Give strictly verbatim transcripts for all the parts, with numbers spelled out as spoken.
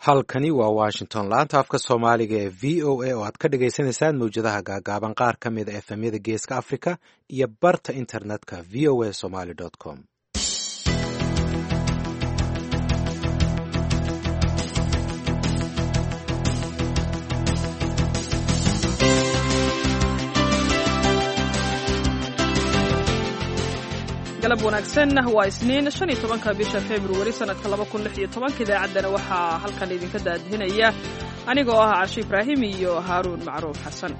Halkani waa Washington, laanta afka Soomaaliga ee V O A oo aad ka dhagaysanaysaan mawjadaha gaagaaban, qaar ka mid a F M-yada Geeska Africa iyo barta internetka V O A Somali com. Galab wanaagsan. Waa Isniin, shan iyo tobanka bisha Februari, sanadka laba kun lix iyo tobanka. Idaacaddana waxaa halkan idinka daadihinaya anigoo ah Cashe Ibraahim iyo Haaruun Macruuf Xasan.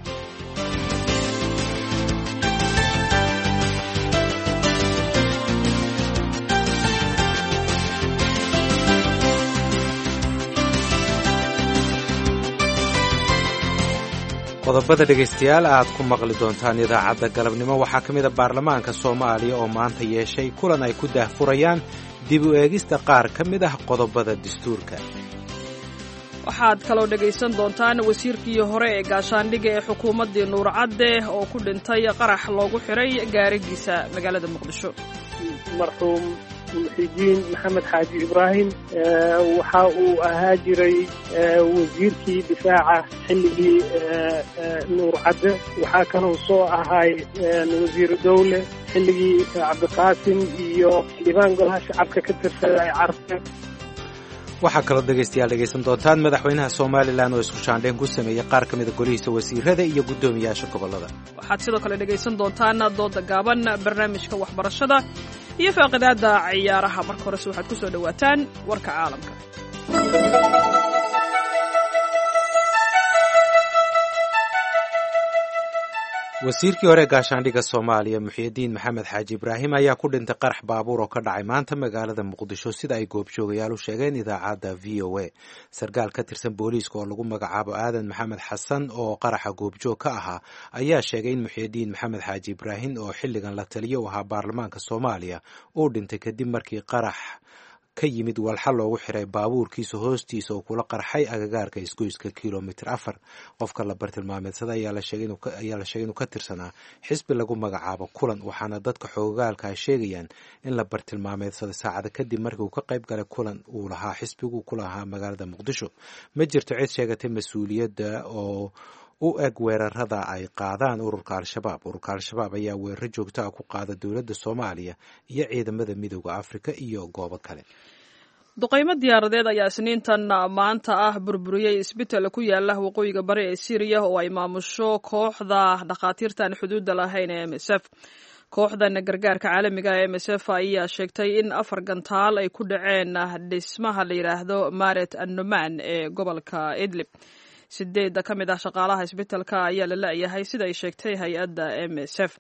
Qodobada dhegaystayaal aad ku maqli doontaan idaacadda galabnimo waxaa ka mid a baarlamaanka Soomaaliya oo maanta yeeshay kulan ay ku daahfurayaan dib u eegista qaar ka mid ah qodobada dastuurka. Waxaad kaloo dhegaysan doontaan wasiirkii hore ee gaashaandhigga ee xukuumaddii Nuur Cadde oo ku dhintay qarax loogu xiray gaarigiisa magaalada Muqdisho. Marxuum Muxidiin Maxamed Xaaji Ibraahim waxa uu ahaa jiray wasiirkii difaaca xilligii Nuur Cadde. Waxaa kaloo soo ahay wasiiru dowle xilligii Cabdiqaasim iyo xildhibaan golaha shacabka ka tirsaday Carte. Waxaa kaloo dhegaystayaal dhegaysan doontaan madaxweynaha Somalilan oo isku shaandhayn ku sameeyey qaar ka mida golihiisa wasiirada iyo guddoomiyaasha gobollada. Waxaad sidoo kale dhegaysan doontaan dooda gaaban, barnaamijka waxbarashada iyo faaqidaada ciyaaraha. Marka horese waxaad ku soo dhowaataan warka caalamka. Wasiirkii hore gaashaandhigga Soomaaliya, Muxiidiin Maxamed Xaaji Ibraahim, ayaa ku dhintay qarax baabuur oo ka dhacay maanta magaalada Muqdisho, sida ay goobjoogayaal u sheegeen idaacadda V O A. Sarkaal ka tirsan booliiska oo lagu magacaabo Aadan Maxamed Xasan oo qaraxa goobjoog ka ahaa ayaa sheegay in Muxiidiin Maxamed Xaaji Ibraahim, oo xilligan la taliyo u ahaa baarlamaanka Soomaaliya, uu dhintay kadib markii qarax ka yimid walxa loogu xiray baabuurkiisa hoostiisa oo kula qarxay agagaarka isgoyska kilomitr afar. Qofka la bartilmaameedsada ayaa la sheegay inuu ka tirsanaa xisbi lagu magacaabo Kulan, waxaana dadka xoogaalka sheegayaan in la bartilmaameedsaday saacada kadib markii uu ka qayb galay kulan uu lahaa xisbigu ku lahaa magaalada Muqdisho. Ma jirto cid sheegatay mas-uuliyadda oo u eg weerarada ay qaadaan ururka Al-Shabaab. Ururka Al-Shabaab ayaa weeraro joogto ah ku qaada dowladda Soomaaliya iyo ciidamada Midooda Afrika iyo goobo kale. Duqaymo diyaaradeed ayaa Isniintan maanta ah burburiyey isbital ku yaala waqooyiga bari ee Siiriya oo ay maamusho kooxda dhakhaatiirtan xuduudda lahayn ee M S F. Kooxdan gargaarka caalamiga ee M S F ayaa sheegtay in afar gantaal ay ku dhaceen dhismaha la yidhaahdo Maret Annuman ee gobolka Idlib. Sideedda ka mid ah shaqaalaha isbitalka ayaa la la-yahay, sida ay sheegtay hay-adda M S F.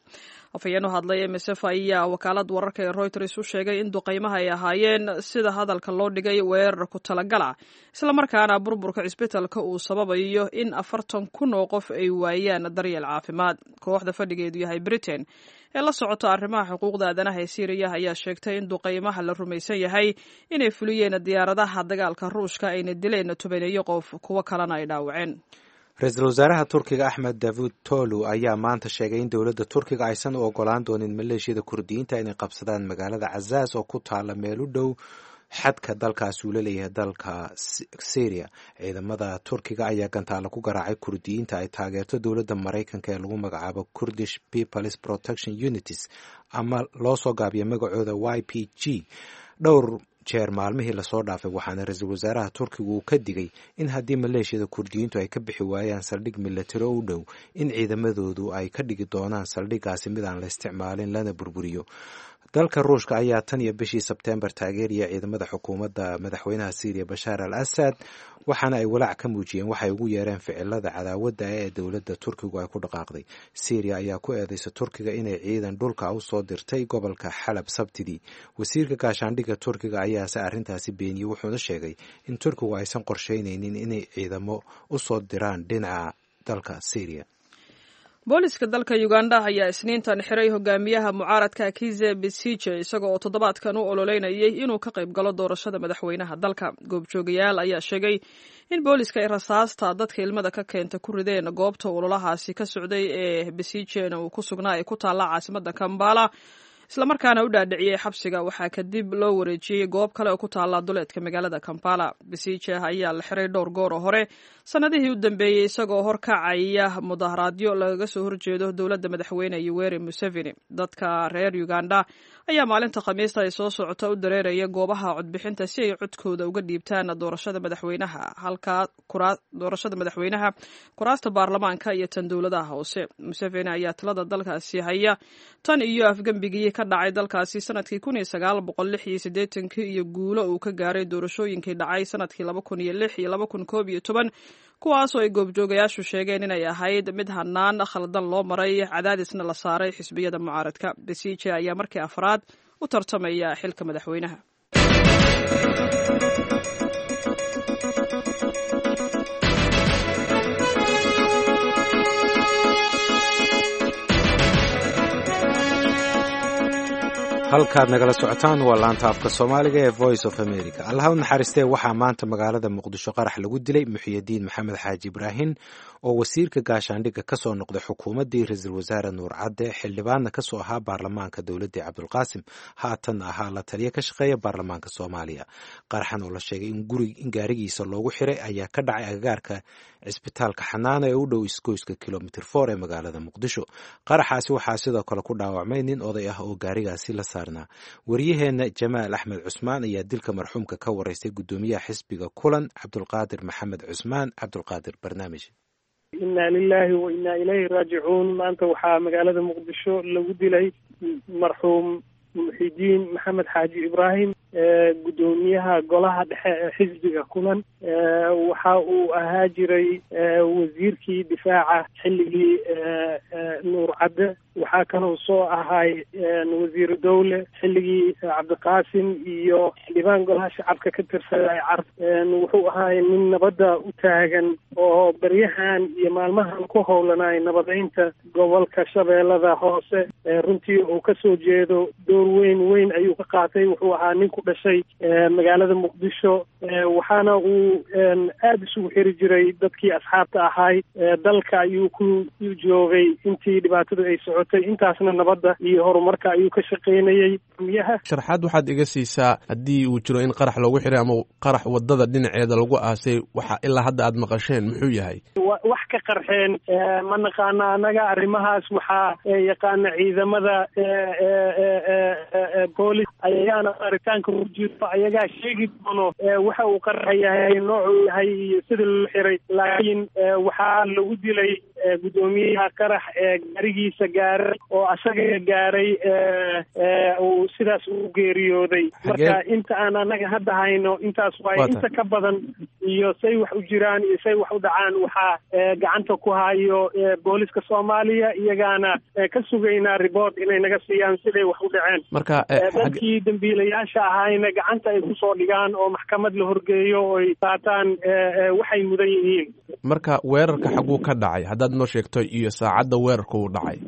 Afhayeen u hadlay M S F ayaa wakaalad wararka ee Reuters u sheegay in duqaymaha ay ahaayeen, sida hadalka loo dhigay, weerar ku talagala, islamarkaana burburka cisbitalka uu sababayo in afartan kun oo qof ay waayaan daryeel caafimaad. Kooxda fadhigeedu yahay Britain ee la socota arrimaha xuquuqda aadanaha ee Siiriya ayaa sheegtay in duqaymaha la rumaysan yahay inay fuliyeen diyaaradaha dagaalka Ruushka ayna dileen tobaneeyo qof, kuwo kalena ay dhaawaceen. Ra-iisul wasaaraha Turkiga Axmed Davud Tolu ayaa maanta sheegay in dowladda Turkiga aysan u ogolaan doonin maleeshiyada Kurdiyiinta inay qabsadaan magaalada Cazaas oo ku taala meel u dhow xadka dalkaasi uu la leeyahay dalka Syria. Ciidamada Turkiga ayaa gantaalo ku garaacay Kurdiyiinta ay taageerto dowladda Maraykanka ee lagu magacaabo Kurdish Peoples Protection Unities, ama loo soo gaabiyo magacooda Y P G, dhowr jeer maalmihii lasoo dhaafay, waxaana ra-iisul wasaaraha Turkigu uu ka digay in haddii maleeshiyada Kurdiyiintu ay ka bixi waayaan saldhig milatari u dhow, in ciidamadoodu ay ka dhigi doonaan saldhiggaasi mid aan la isticmaalin lana burburiyo. Dalka Ruushka ayaa tan iyo bishii Sebtembar taageeraya ciidamada xukuumadda madaxweynaha Syriya Bashaar al Asad, waxaana ay walaac ka muujiyeen waxay ugu yeereen ficilada cadaawadda ee dowladda Turkigu ay ku dhaqaaqday. Syriya ayaa ku eedeysa Turkiga inay ciidan dhulka u soo dirtay gobolka Xalab Sabtidii. Wasiirka gaashaandhigga Turkiga ayaase arrintaasi beeniyey, wuxuuna sheegay in Turkigu aysan qorsheyneynin inay ciidamo u soo diraan dhinaca dalka Syriya. Booliska dalka Uganda ayaa Isniintan xiray hogaamiyaha mucaaradka Kize Besije, isaga oo toddobaadkan u ololeynayay inuu ka qayb galo doorashada madaxweynaha dalka. Goobjoogayaal ayaa sheegay in booliska ay rasaasta dadka ilmada ka keenta ku rideen goobta ololahaasi ka socday ee Besijena uu ku sugnaa ee ku taalla caasimada Kambala. islamarkaana u dhaadhiciyey xabsiga. Waxaa kadib loo wareejiyey goob kale oo ku taala duleedka magaalada Kampala. Besigye ayaa la xiray dhowr goor oo hore sanadihii u dambeeyey, isagoo horkacaya mudaharaadyo lagaga soo horjeedo dowladda madaxweyne Yoweri Museveni. Dadka reer Uganda ayaa maalinta Khamiista ay soo socota u dareeraya goobaha codbixinta si ay codkooda uga dhiibtaan doorashada madaxweynaha, halka doorashada madaxweynaha, kuraasta baarlamaanka iyo tan dowladaha hoose. Museveni ayaa talada dalkaasi haya tan iyo afgembigii ka dhacay dalkaasi sanadkii kun iyo sagaal boqol lix iyo siddeetankii iyo guulo uu ka gaaray doorashooyinkii dhacay sanadkii laba kun iyo lix iyo laba kun koob iyo toban, kuwaasoo ay goobjoogayaashu sheegeen inay ahayd mid hanaan khaldan loo maray, cadaadisna la saaray xisbiyada mucaaradka. Besigye ayaa markii afraad u tartamaya xilka madaxweynaha. Halkaad nagala socotaan waa laanta afka Soomaaliga ee Voice of America. Allaha u naxariistee, waxaa maanta magaalada Muqdisho qarax lagu dilay Muxiyadiin Maxamed Xaaji Ibraahin oo wasiirka gaashaandhigga kasoo noqday xukuumaddii ra-iisul wasaare Nuur Cadde, xildhibaanna kasoo ahaa baarlamaanka dowladdii Cabdulqaasim, haatan ahaa la taliya ka shaqeeya baarlamaanka Soomaaliya. Qaraxan oo la sheegay in guri in gaarigiisa loogu xiray ayaa ka dhacay agagaarka cisbitaalka Xanaana ee u dhow isgoyska Kilomitr four ee magaalada Muqdisho. Qaraxaasi waxaa sidoo kale ku dhaawacmay nin oday ah oo gaarigaasi la saarnaa. Waryaheena Jamaal Axmed Cusmaan ayaa dilka marxuumka ka wareystay guddoomiyaha xisbiga Kulan, Cabdulqaadir Maxamed Cusmaan Cabdulqaadir Barnaamij. Inna lilahi wa inna ilayhi raajicuun. Maanta waxaa magaalada Muqdisho lagu dilay marxuum Muxidiin Maxamed Xaaji Ibraahim, guddoomiyaha golaha dhexe ee xisbiga Kulan. Waxa uu ahaa jiray wasiirkii difaaca xilligii Nuur Cadde, waxaa kaloo soo ahay wasiiru dowle xilligii Cabdiqaasim iyo xildhibaan golaha shacabka ka tirsaday Carab. Wuxuu ahaay nin nabadda u taagan oo beryahan iyo maalmahan ku howlanay nabadeynta gobolka Shabeellada Hoose. Runtii uu kasoo jeedo door weyn weyn ayuu ka qaatay. Wuxuu ahaa nin ku dhashay magaalada Muqdisho, waxaana uu aada isugu xiri jiray dadkii asxaabta ahaay. Dalka ayuu ku joogay intii dhibaatadu ay socotay, intaasna nabadda iyo horumarka ayuu ka shaqaynayay. Miyaha sharxaad waxaad iga siisaa haddii uu jiro in qarax loogu xiray ama qarax wadada dhinaceeda lagu aasay, waxa ilaa hadda aad maqasheen muxuu yahay? Wax ka qarxeen ma naqaana annaga arrimahaas, waxaa yaqaana ciidamada boolis, ayagaana baaritaanka ku jiro, ayagaa sheegi doono waxa uu qaraxa yahay, noocuu yahay iyo sida loo xiray. Laakiin waxaa lagu dilay guddoomiyaha qarax ee gaarigiisa gaaray oo asaga gaaray uu sidaas u geeriyooday. Marka inta aan annaga hadda hayno intaas waaye, inta ka badan iyo say wax u jiraan iyo say wax u dhacaan waxaa gacanta ku hayo booliska Soomaaliya, iyagaana ka sugaynaa report inay naga siiyaan siday wax u dhaceen. Marka dadkii dambiilayaasha ahayna gacanta ay kusoo dhigaan oo maxkamad la horgeeyo oo ay qaataan waxay mudan yihiin. Marka weerarka xaguu ka dhacay haddaad noo sheegto iyo saacadda weerarka uu dhacay?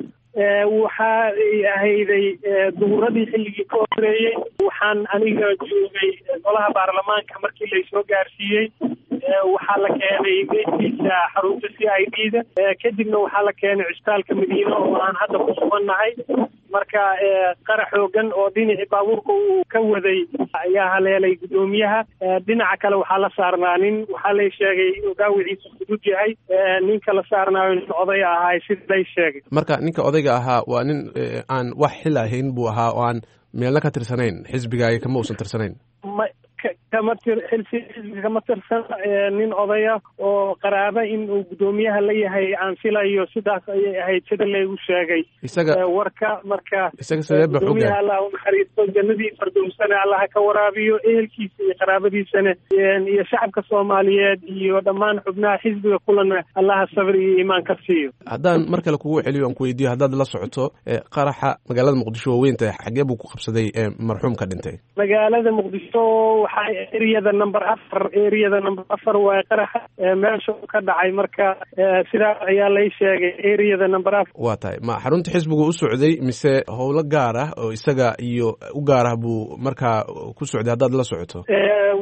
Waxa ay ahayday duhuradii xilligii ka horeeyey. Waxaan aniga joogay golaha baarlamaanka markii laysoo gaarsiiyey. Waxaa la keenay meydkiisa xarunta C I D da, kadibna waxaa la keenay cisbitaalka Madiine oo aan hadda ku sugannahay. Marka qarax xoogan oo dhinacii baabuurka uu ka waday ayaa haleelay guddoomiyaha. Dhinaca kale waxaa la saarnaa nin, waxaa lay sheegay inuu dhaawiciisa fudud yahay. Ninka la saarnaayo nin oday ahaay sida lay sheegay. Marka ninka odayga ahaa waa nin aan wax xil ahayn buu ahaa oo aan meelna ka tirsanayn, xisbigaaga kama uusan tirsanayn? Ma kama tir xilsi xisbiga kama tirsan, nin odaya oo qaraaba in uu guddoomiyaha la yahay aan filayo, sidaas ayay ahayd sida laygu sheegay isaga warka. Marka isaga sidee ba guddoomiyaha Allah u naxariisto, jannadii fardowsana Allah ka waraabiyo, ehelkiisa iyo qaraabadiisana iyo shacabka Soomaaliyeed iyo dhammaan xubnaha xisbiga Kulana Allaha sabir iyo iimaan ka siiyo. Haddaan mar kale kugu celiyo aan ku weydiiyo, haddaad la socoto qaraxa magaalada Muqdisho waaweynta xagee buu ku qabsaday marxuumka dhintay? Magaalada Muqdisho waxay Eriyada number afar, eriyada number afar waaye qaraxa meesha uu ka dhacay. Marka sidaas ayaa lay sheegay, eriyada number afar. Waa tahay, ma xarunta xisbigu u socday mise howlo gaar ah oo isaga iyo u gaar ah buu markaa ku socday haddaad la socoto?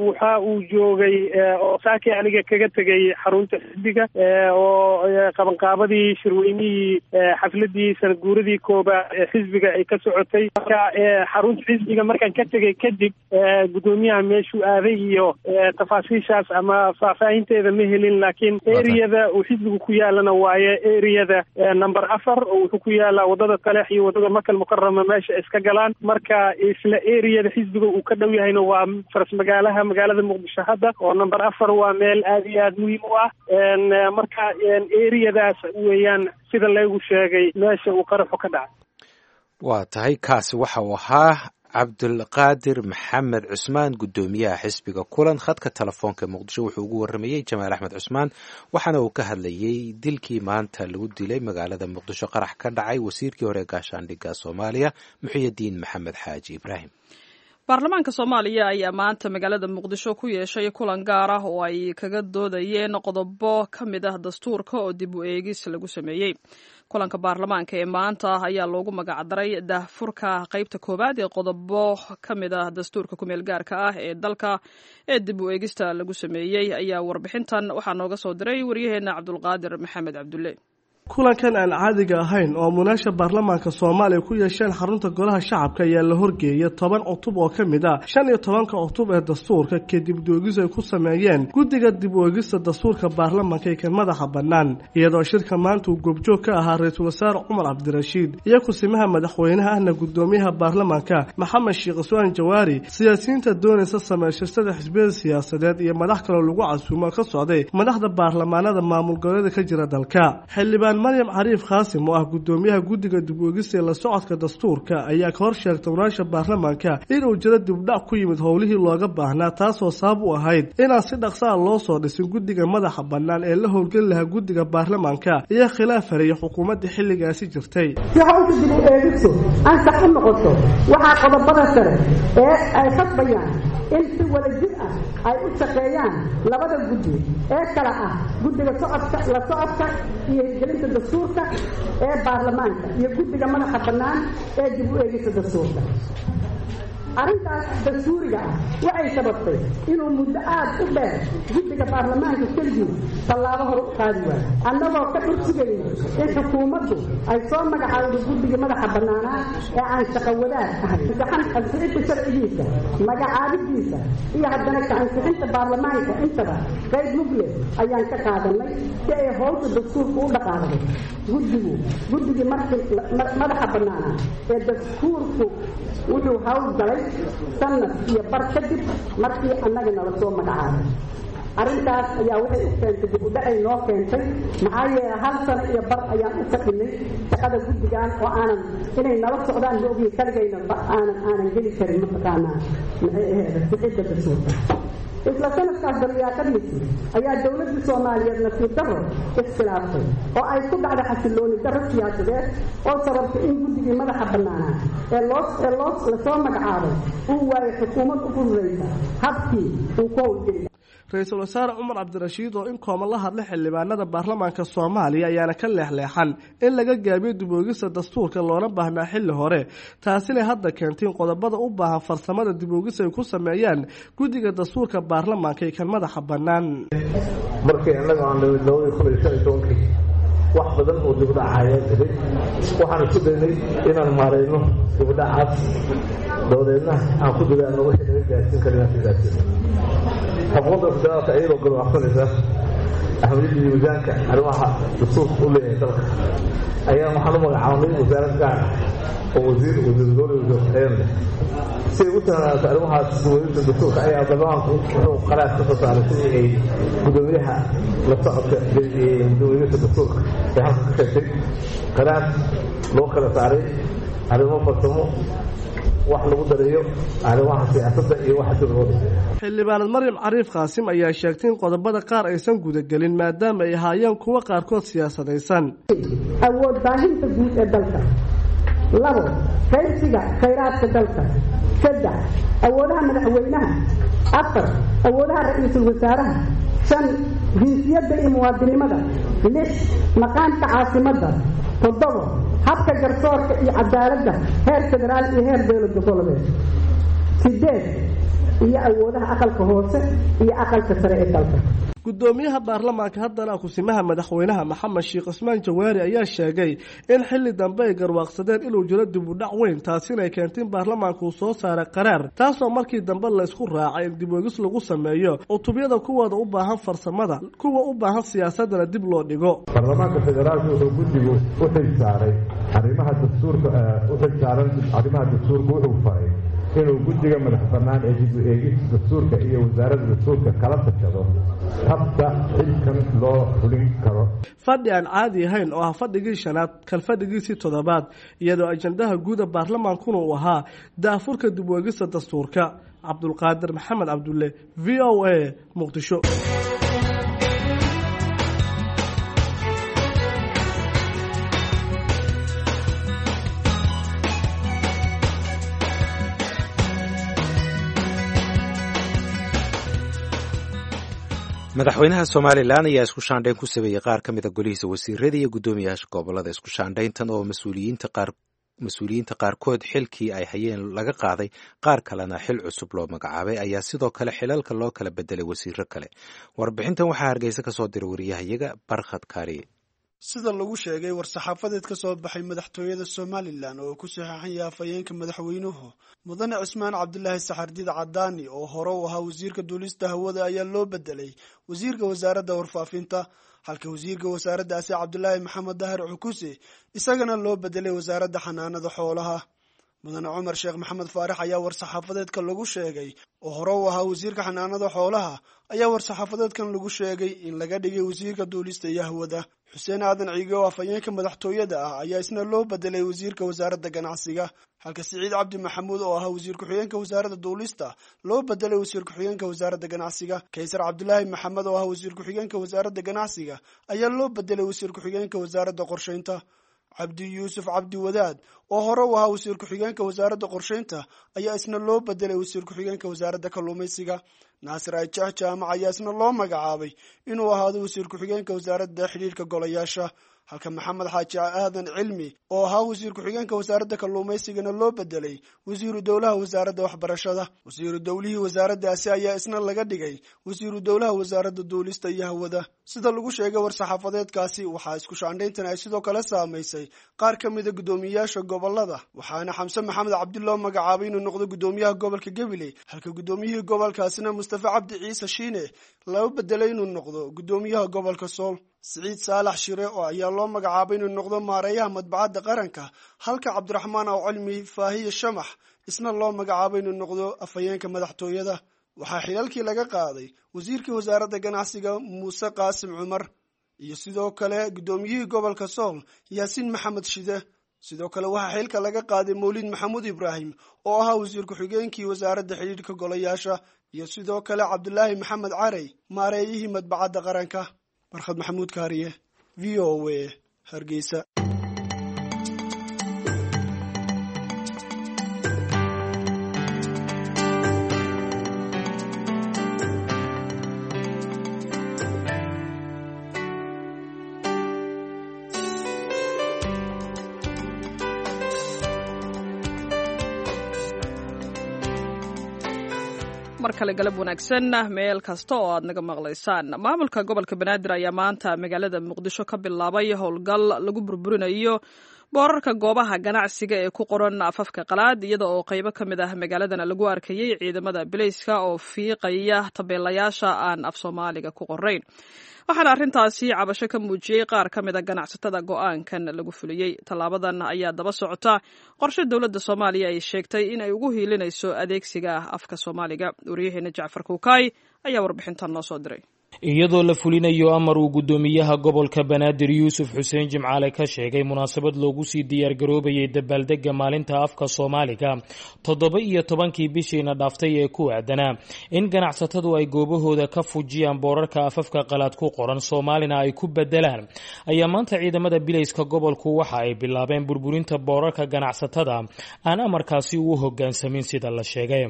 Waxa uu joogay oo saakii aniga kaga tegay xarunta xisbiga oo qabanqaabadii shirweynihii xafladii sanad guuradii koobaad ee xisbiga ay ka socotay. Marka xarunta xisbiga markaan ka tegay kadib, guddoomiyaha meeshuu aaday iyo tafaasiishaas ama faahfaahinteeda ma helin, laakiin eriyada uu xisbigu ku yaalana waaye eriyada number afar, oo wuxuu ku yaalaa wadada Taleex iyo wadada Makal Mukarama meesha iska galaan. Marka isla eriyada xisbiga uu ka dhow yahayna waa faras magaalaha magaalada Muqdisho hadda, oo number afar waa meel aad iyo aad muhiim u ah. Marka eriyadaas weeyaan sida laygu sheegay meesha uu qaraxu ka dhacay. Waa tahay, kaasi waxa uu ahaa Cabdulqaadir Maxamed Cusmaan, guddoomiyaha xisbiga Kulan. Khadka telefoonka Muqdisho wuxuu ugu warramayey Jamaal Axmed Cusmaan, waxaana uu ka hadlayey dilkii maanta lagu dilay magaalada Muqdisho qarax ka dhacay wasiirkii hore gaashaandhigga Soomaaliya Muxyidiin Maxamed Xaaji Ibraahim. Baarlamaanka Soomaaliya ayaa maanta magaalada Muqdisho ku yeeshay kulan gaar ah oo ay kaga doodayeen qodobo ka mid ah dastuurka oo dib u eegis lagu sameeyey. Kulanka baarlamaanka ee maanta ayaa loogu magacdaray daahfurka qeybta koowaad ee qodobo ka mid ah dastuurka kumeel gaarka ah ee dalka ee dib u eegista lagu sameeyey. Ayaa warbixintan waxaa nooga soo diray waryaheena Cabdulqaadir Maxamed Cabdulle. Kulankan aan caadiga ahayn oo munaasha baarlamaanka Soomaaliya ku yeesheen xarunta golaha shacabka ayaa la horgeeyay toban cutub oo ka mid ah shan iyo tobanka cutub ee dastuurka, kadib doogis ay ku sameeyeen guddiga dib u eegista dastuurka baarlamaanka ee kan madaxa bannaan, iyadoo shirka maanta uu goobjoog ka ahaa ra-iisul wasaare Cumar Cabdirashiid iyo kusimaha madaxweynaha ahna guddoomiyaha baarlamaanka Maxamed Sheekh Cusmaan Jawaari, siyaasiyiinta doonaysa sameysashada xisbiyada siyaasadeed iyo madax kaloo lagu casuumo ka socday madaxda baarlamaanada maamul goboleeda ka jira dalka. Xildhibaan Maryam Cariif Khaasim oo ah guddoomiyaha guddiga dib u eegista ee la socodka dastuurka ayaa ka hor sheegtay walaasha baarlamaanka inuu jiro dibdhac ku yimid howlihii looga baahnaa, taasoo sabab u ahayd inaan si dhaqsa ah loo soo dhisin guddiga madaxa bannaan ee la howlgeli lahaa guddiga baarlamaanka iyo khilaaf hareeyay xukuumadda xilligaasi jirtay. Si hawsha dib u eegistu ansax u noqoto, waxaa qodobada sare ee ay khasbayaan in si wadajir ah ay u shaqeeyaan labada guddi ee kala ah guddiga socodka la socodka iyo hirgelinta dastuurka ee baarlamaanka iyo guddiga madaxa bannaan ee dib u eegista dastuurka. Arrintaas dastuuriga ah waxay sababtay inuu muddo aad u dheer guddiga baarlamaanka keligii tallaabo hore u qaadi waayo, annagoo ka dhursigayno in xukuumaddu ay soo magacaawdo guddigii madaxa bannaanaa ee aan shaqo wadaag ahayn. Ansixinta sharcigiisa, magacaabidiisa iyo haddana ka ansixinta baarlamaanka intaba qayb mugle ayaan ka qaadanay si ay howsha dastuurka u dhaqaaqdo. Guddigu guddigii markii madaxa bannaanaa ee dastuurku wuxuu hawl galay sanad iyo bar kadib markii annaga nala soo magacaabay. Arrintaas ayaa waxay u keentay dib u dhacay noo keentay, maxaa yeelay hal sano iyo bar ayaan u fadhinay shaqada guddigan oo aanan inay nala socdaan ma ogiin, kaligayna aanan aanan geli karin mataqaanaa maxay ahayd sixidda dastuurka. Isla sanadkaas daryaaqadiisii ayaa dowladda Soomaaliyeed nasiib darro iskilaaftay oo ay ku dhacday xasilooni darro siyaasadeed oo sababtay in guddigii madaxa bannaanaa ee loo ee loo lasoo magacaabay uu waayay xukuumad u fududaysa habkii uu ku howlgeli. Ra-iisul wasaare Cumar Cabdirashiid oo in kooban la hadlay xildhibaanada baarlamaanka Soomaaliya ayaana ka leexleexan in laga gaabiyo dib u eegista dastuurka loona baahnaa xilli hore, taasina hadda keentay in qodobada u baahan farsamada dib u eegis ay ku sameeyaan guddiga dastuurka baarlamaanka ee kan madaxa bannaan. Markii annaga aan nimid labadii kun iyo shan iyo tobankii wax badan oo dibudhaca ayaa jiray. Waxaan isku daynay inaan maarayno dibudhacaas, dabadeedna aan ku dadaalno wixii naga gaarsiin kara inaan ka gaarsiino. Xukuumadda federaalka iyadoo garwaaqsanaysa ahmiyadda iyo miisaanka arrimaha dastuurka u leeyahay dalka ayaa waxaan u magacaabnay wasaarad gaar ah oo wasiir, wasiir dowla, wasiir ku-xigeen leh si ay u tahnaato arrimahaas. Dib dastuurka ayaa baarlamaanku wuxuu qaraar ka soo saaray sidii ay guddoomiyaha la socodka guddoomiyaha dastuurka ee halka ka sheegtay, qaraar loo kala saaray arrimo farsamo, wax lagu dareeyo arrimaha siyaasadda iyo waxa dib loo dhisay. Xildhibaanad Maryam Cariif Qaasim ayaa sheegtay in qodobada qaar aysan gudagelin maadaama ay ahaayeen kuwo qaarkood siyaasadaysan. Awood baahinta guud ee dalka, labo, qaybsiga khayraadka dalka, Saddex, awoodaha madaxweynaha. Afar, awoodaha ra-iisul wasaaraha. Shan, jinsiyadda iyo muwaadinimada. Lix, maqaamka caasimadda. Toddobo, habka garsoorka iyo cadaaladda heer federaal iyo heer dowlad goboleed. Sideed, iyo awoodaha aqalka hoose iyo aqalka sare ee dalka. Gudoomiyaha baarlamaanka haddana kusimaha madaxweynaha Maxamed Sheekh Cismaan Jawaari ayaa sheegay in xilli dambe ay garwaaqsadeen inuu jiro dib u dhac weyn, taasina ay keentay in baarlamaanku uu soo saaray qaraar, taasoo markii dambe la isku raacay in dib uegis lagu sameeyo cutubyada kuwooda u baahan farsamada, kuwa u baahan siyaasadana dib loo dhigo. Baarlamaanka federaalka wuxuu guddigu u xilsaaray arrimaha dastuurka u xilsaaran arrimaha dastuurka wuxuu faray inuu guddiga madax bannaan ee dib u eegista dastuurka iyo wasaaradda dastuurka kala tashado habka xilkan loo fulin karo. Fadhi aan caadi ahayn oo ah fadhigii shanaad kalfadhigiisii toddobaad, iyadoo ajandaha guuda baarlamaankuna uu ahaa daafurka dib u eegista dastuurka. Cabdulqaadir Maxamed Cabdulle, V O A, Muqdisho. Madaxweynaha Somalilan ayaa isku shaandhayn ku sameeyey qaar ka mida golihiisa wasiirada iyo guddoomiyaasha gobolada. Isku shaandhayntan oo mas-uuliyiinta qaar mas-uuliyiinta qaarkood xilkii ay hayeen laga qaaday, qaar kalena xil cusub loo magacaabay, ayaa sidoo kale xilalka loo kala bedelay wasiiro kale. Warbixintan waxaa Hargeysa ka soo diray wariyahayaga Barkhad Kaariye. Sida lagu sheegay war-saxaafadeed ka soo baxay madaxtooyada Somalilan oo ku saxeexan yahay afhayeenka madaxweynuhu, Mudane Cismaan Cabdilaahi Saxardiid Cadaani oo hore u ahaa wasiirka duulista hawada ayaa loo bedelay wasiirka wasaaradda warfaafinta, halka wasiirka wasaaraddaasi Cabdilaahi Maxamed Dahir Cukuse isagana loo bedelay wasaaradda xanaanada xoolaha. Mudane Cumar Sheekh Maxamed Faarax ayaa war-saxaafadeedka lagu sheegay oo hore u ahaa wasiirka xanaanada xoolaha ayaa war-saxaafadeedkan lagu sheegay in laga dhigay wasiirka duulista iyo hawada. Xuseen Aadan Ciige oo afhayeenka madaxtooyada ah ayaa isna loo bedelay wasiirka wasaaradda ganacsiga, halka Siciid Cabdi Maxamuud oo ahaa wasiir ku-xigeenka wasaaradda duulista loo bedelay wasiir ku-xigeenka wasaaradda ganacsiga. Kaysar Cabdilaahi Maxamed oo ahaa wasiir ku-xigeenka wasaaradda ganacsiga ayaa loo bedelay wasiir ku-xigeenka wasaaradda qorsheynta. Cabdi Yuusuf Cabdi Wadaad oo hore u ahaa wasiir ku-xigeenka wasaaradda qorsheynta ayaa isna loo bedelay wasiir ku-xigeenka wasaaradda kalluumaysiga. Naasir Ajax Jaamac ayaa isna loo magacaabay inuu ahaado wasiir ku-xigeenka wasaaradda xidhiirka golayaasha, halka Maxamed Xaaji Aadan Cilmi oo ahaa wasiir ku-xigeenka wasaaradda kalluumaysigana loo bedelay wasiiru dowlaha wasaaradda waxbarashada. Wasiiru dowlihii wasaaraddaasi ayaa isna laga dhigay wasiiru dowlaha wasaaradda duulista iyo hawada. Sida lagu sheegay war-saxaafadeedkaasi, waxaa isku shaandhayntan ay sidoo kale saamaysay qaar ka mida guddoomiyayaasha gobolada, waxaana Xamse Maxamed Cabdi loo magacaabay inuu noqdo guddoomiyaha gobolka Gabiley, halka guddoomiyihii gobolkaasina Mustafa Cabdi Ciise Shiine loo bedelay inuu noqdo guddoomiyaha gobolka Sool. Siciid Saalax Shire oo ayaa loo magacaabay inuu noqdo maareeyaha madbacadda qaranka, halka Cabdiraxmaan Aw Cilmi Faahiye Shamax isna loo magacaabay inuu noqdo afhayeenka madaxtooyada. Waxaa xilalkii laga qaaday wasiirkii wasaaradda ganacsiga Muuse Qaasim Cumar iyo sidoo kale guddoomiyihii gobolka Sool Yaasiin Maxamed Shide. Sidoo kale waxaa xilka laga qaaday Mawlid Maxamuud Ibraahim oo ahaa wasiir ku-xigeenkii wasaaradda xidhiidhka golayaasha iyo sidoo kale Cabdilaahi Maxamed Carey maareeyihii madbacadda qaranka. Barkhad Maxamuud Kaariye, V O A, Hargeysa. Mar kale galab wanaagsan meel kasta oo aad naga maqlaysaan. Maamulka gobolka Banaadir ayaa maanta magaalada Muqdisho ka bilaabay howlgal lagu burburinayo boorarka goobaha ganacsiga ee ku qoran afafka qalaad, iyada oo qaybo ka mid ah magaaladana lagu arkayey ciidamada bileyska oo fiiqaya tabeelayaasha aan af Soomaaliga ku qorayn. Waxaana arrintaasi cabasho ka muujiyey qaar ka mid a ganacsatada go'aankan lagu fuliyey. Tallaabadan ayaa daba socota qorshe dowladda Soomaaliya ay sheegtay in ay ugu hiilinayso adeegsiga afka Soomaaliga. Waryaheena Jacfar Kuukaay ayaa warbixintan noo soo diray. Iyadoo la fulinayo amar uu guddoomiyaha gobolka Banaadir Yuusuf Xuseen Jimcaale ka sheegay munaasabad loogu sii diyaargaroobayay dabaaldega maalinta afka Soomaaliga toddoba iyo tobankii bishiina dhaaftay ee ku aadanaa in ganacsatadu ay goobahooda ka fujiyaan boorarka afafka qalaad ku qoran, Soomaalina ay ku bedelaan, ayaa maanta ciidamada bilayska gobolku waxa ay bilaabeen burburinta boorarka ganacsatada aan amarkaasi u hogaansamin. Sida la sheegay,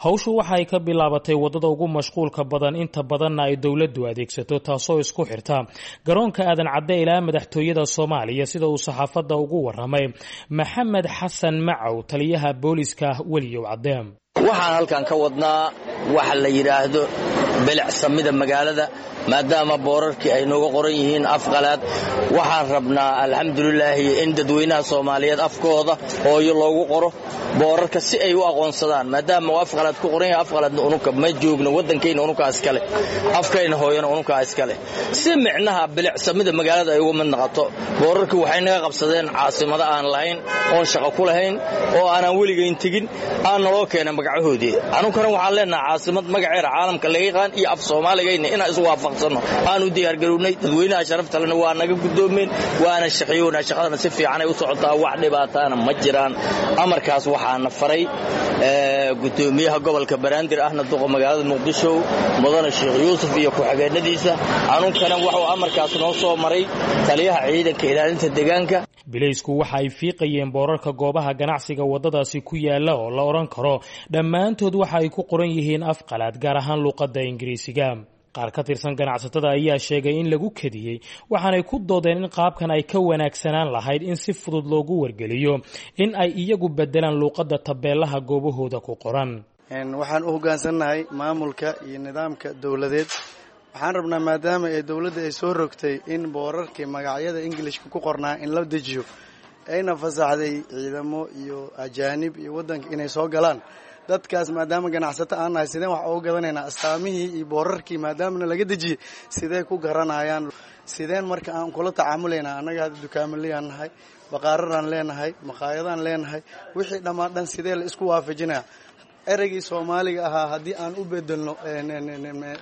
hawshu waxa ay ka bilaabatay waddada ugu mashquulka badan, inta badanna ay dowladdu adeegsato, taasoo isku xirta garoonka Aadan Cadde ilaa madaxtooyada Soomaaliya, sida uu saxaafadda ugu waramay Maxamed Xasan Macow, taliyaha booliska Weliyow Cadde. Waxaan halkan ka wadnaa waxa la yidhaahdo bilicsamida magaalada, maadaama boorarkii ay nooga qoran yihiin afqalaad. Waxaan rabnaa, alxamdulilaahi, in dadweynaha Soomaaliyeed afkooda hooyo loogu qoro boorarka si ay u aqoonsadaan, maadaama uu afqalaad ku qoran yahay. Afqalaadna ununka ma joogno, waddankayna ununkaa iskale, afkayna hooyana ununkaa iskale, si micnaha bilicsamida magaalada ay uga mid noqoto. Boorarkii waxay naga qabsadeen caasimado aan lahayn oon shaqo ku lahayn oo aanaan weligayn tegin aan naloo keena magacahoodii. Anunkana waxaan leenaha caasimad magaceeda caalamka laga yaqaan iyo af Soomaaligayna inaan is waafaqsanno aanu diyaargarownay. Dadweynaha sharaftalena waa naga guddoomeen, waana shaqeyoonaa, shaqadana si fiicanay u socotaa, wax dhibaataana ma jiraan. Amarkaas waxaana faray guddoomiyaha gobolka Banaadir ahna duqa magaalada Muqdisho, mudane Sheekh Yuusuf, iyo ku-xigeenadiisa. Anunkana wuxuu amarkaas noo soo maray taliyaha ciidanka ilaalinta deegaanka. Bilaysku waxa ay fiiqayeen boorarka goobaha ganacsiga waddadaasi ku yaala oo la odhan karo dhammaantood waxa ay ku qoran yihiin af qalaad, gaar ahaan luuqadda Ingiriisiga. Qaar ka tirsan ganacsatada ayaa sheegay in lagu kadiyey, waxaanay ku doodeen in qaabkan ay ka wanaagsanaan lahayd in si fudud loogu wargeliyo in ay iyagu bedelaan luuqadda tabeelaha goobahooda ku qoran. Waxaan u hoggaansannahay maamulka iyo nidaamka dowladeed. Waxaan rabnaa, maadaama ee dowladda ay soo rogtay in boorarkii magacyada Ingilishka ku qornaa in la dejiyo, ayna fasaxday ciidamo iyo ajaanib iyo waddanka inay soo galaan, dadkaas maadaama ganacsato aan nahay, sideen wax uga gadanaynaa astaamihii iyo boorarkii maadaamana laga dejiyey? Sidee ku garanayaan? Sideen marka aan kula tacaamulaynaa? Annaga hadda dukaamaleyaan nahay, baqaararaan leenahay, maqaayadaan leenahay, wixii dhammaan dhan sidee la isku waafajinaya? Ereygii Soomaaliga ahaa haddii aan u bedelno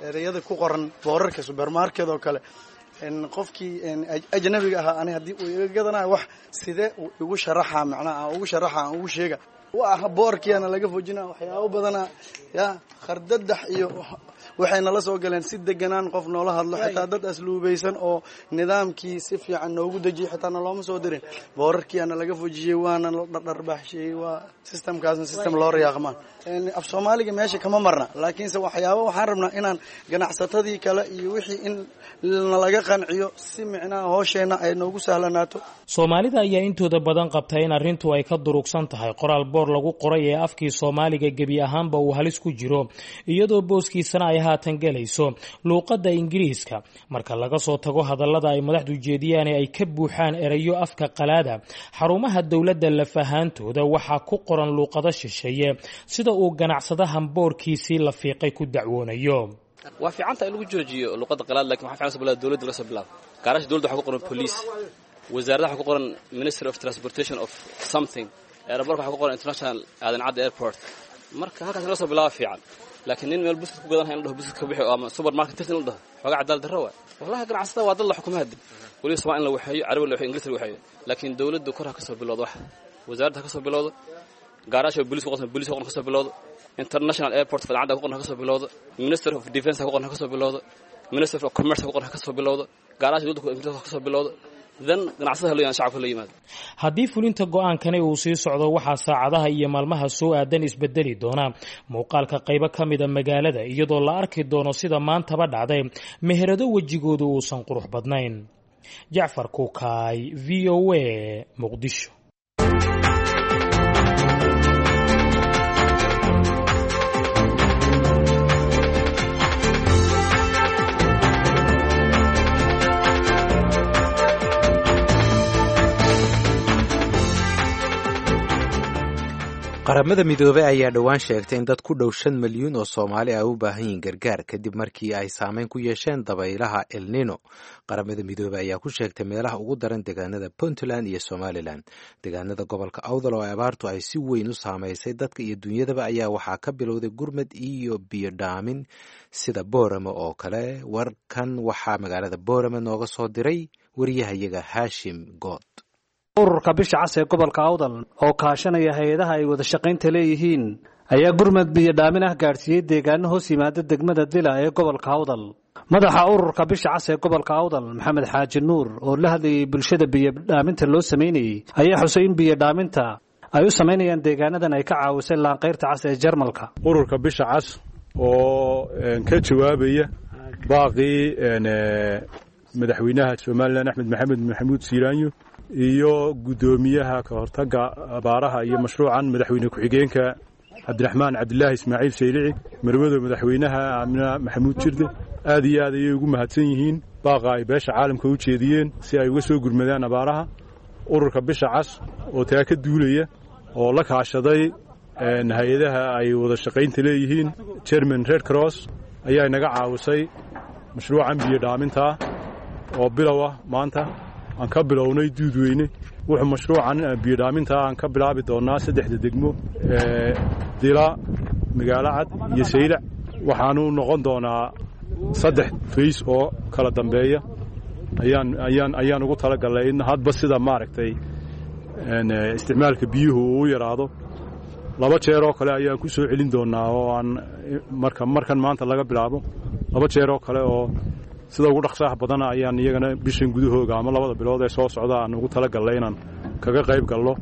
ereyada ku qoran boorarka supermarket oo kale, qofkii ajnabiga ahaa ani haddii uu iga gadanayo wax, sidee uu igu sharaxaa? Macnaha aan ugu sharaxa, aan ugu sheega wa boorkiana laga fojina waxyaabo badana ya khardadax iyo waxay nala soo galeen. Si deganaan qof noola hadlo, xitaa dad asluubaysan oo nidaamkii si fiican noogu dejiyay xitaa nalooma soo dirin. Boorarkiana laga fojiyey, waana la dhardharbaaxsheeyey. Waa systemkaasna system loo riyaaqmaan. Af Soomaaliga meesha kama marna, laakiinse waxyaabo waxaan rabnaa inaan ganacsatadii kale iyo wixii in nalaga qanciyo si micnaha hoosheenna ay noogu sahlanaato. Soomaalida ayaa intooda badan qabta in arrintu ay ka durugsan tahay qoraal boor lagu qoray ee afkii Soomaaliga gebi ahaanba uu halis ku jiro, iyadoo booskiisana ay haatan gelayso luuqadda Ingiriiska. Marka laga soo tago hadallada ay madaxdu jeediyaan ee ay ka buuxaan erayo afka qalaada, xarumaha dowladda laf ahaantooda waxaa ku qoran luuqado shisheeye, sida uu ganacsadahan boorkiisii la fiiqay ku dacwoonayo. Waa fiicanta in lagu joojiyo luqadda qalaad, lakin waxaa fiican soo dowladda laga soo bilaabo. Gaaraasha dowladda waxaa ku qoran police, wasaaradda waxaa ku qoran Ministry of Transportation of something, airportka waxaa ku qoran International Aadan Cadde Airport. Marka halkaas laga soo bilaabo fiican, laakiin nin meel buskut ku gadanaya in la dhaho buskut ka bixi ama supermarket tirta in la dhaho, xoogaa cadaalad darro waay. Wallahi ganacsatada waa dad la xukumaha, weliba Somaali in la waxeeyo, Carabi la waxeeyo, Ingiriis la waxeeyo, laakiin dowladdu kor ha ka soo bilowdo, wax wasaaradda ha ka soo bilowdo, gaaraasha booliis ku qoran booliis ku qoran ka soo bilowdo, International Airport fadcadda ku qoran ha ka soo bilowdo, Minister of Defense ha ku qoran ha ka soo bilowdo, Minister of Commerce ha ku qoran ha ka soo bilowdo, gaaraasha dowladda Ingiriiska ha ka soo bilowdo, dan ganacsatada loo shacabka loo yimaado. Haddii fulinta go-aankani uu sii socdo, waxaa saacadaha iyo maalmaha soo aadan isbedeli doona muuqaalka qaybo ka mida magaalada, iyadoo la arki doono, sida maantaba dhacday, meherado wejigoodu uusan qurux badnayn. Jacfar Kukaay, V O A, Muqdisho. Qaramada Midoobey ayaa dhowaan sheegtay in dad ku dhow shan milyuun oo Soomaali ay u baahan yihiin gargaar kadib markii ay saameyn ku yeesheen dabaylaha El Nino. Qaramada Midoobey ayaa ku sheegtay meelaha ugu daran deegaanada Puntland iyo Somalilan. Deegaanada gobolka Awdal oo abaartu ay si weyn u saameysay dadka iyo dunyadaba ayaa waxaa ka bilowday gurmad iyo biyo dhaamin sida Boorame oo kale. Warkan waxaa magaalada Boorame nooga soo diray wariyahayaga Haashim Good. Ururka Bisha Cas ee gobolka Awdal oo kaashanaya hay-adaha ay wada shaqaynta leeyihiin ayaa gurmad biyo dhaamin ah gaadhsiiyey deegaano hoos yimaada degmada Dila ee gobolka Awdal. Madaxa ururka Bisha Cas ee gobolka Awdal, Maxamed Xaaji Nuur, oo la hadlayay bulshada biyo dhaaminta loo sameynayey, ayaa xusay in biyo dhaaminta ay u samaynayaan deegaanadan ay ka caawisay Laanqayrta Cas ee Jarmalka. Ururka Bisha Cas oo ka jawaabaya baaqii madaxweynaha Somalilan Axmed Maxamed Maxamuud Siiraanyo iyo guddoomiyaha ka hortagga abaaraha iyo mashruucan madaxweyne ku-xigeenka Cabdiraxmaan Cabdilaahi Ismaaciil Saylici, marwada madaxweynaha Aamina Maxamuud Jirde, aad iyo aad ayay ugu mahadsan yihiin baaqa ay beesha caalamka u jeediyeen si ay uga soo gurmadaan abaaraha. Ururka Bisha Cas oo taa ka duulaya oo la kaashaday hay-adaha ay wada shaqaynta leeyihiin German Red Cross ayaa inaga caawisay mashruucan biyo dhaamintaa oo bilow ah maanta aan ka bilownay Duudweyne. Wuxuu mashruucan biyodhaaminta aan ka bilaabi doonnaa saddexda degmo ee Dila, Magaalo Cad iyo Saylac. Waxaanu noqon doonaa saddex fays oo kala dambeeya ayaan ayaan ayaan ugu talagalnay in hadba sida maaragtay isticmaalka biyuhu uu u yaraado laba jeer oo kale ayaan ku soo celin doonnaa oo aan marka markan maanta laga bilaabo laba jeer oo kale oo sida ugu dhaqsaha badana ayaan iyagana bishan gudahooga ama labada bilood ee soo socda aan ugu talagalnay inaan kaga qayb galno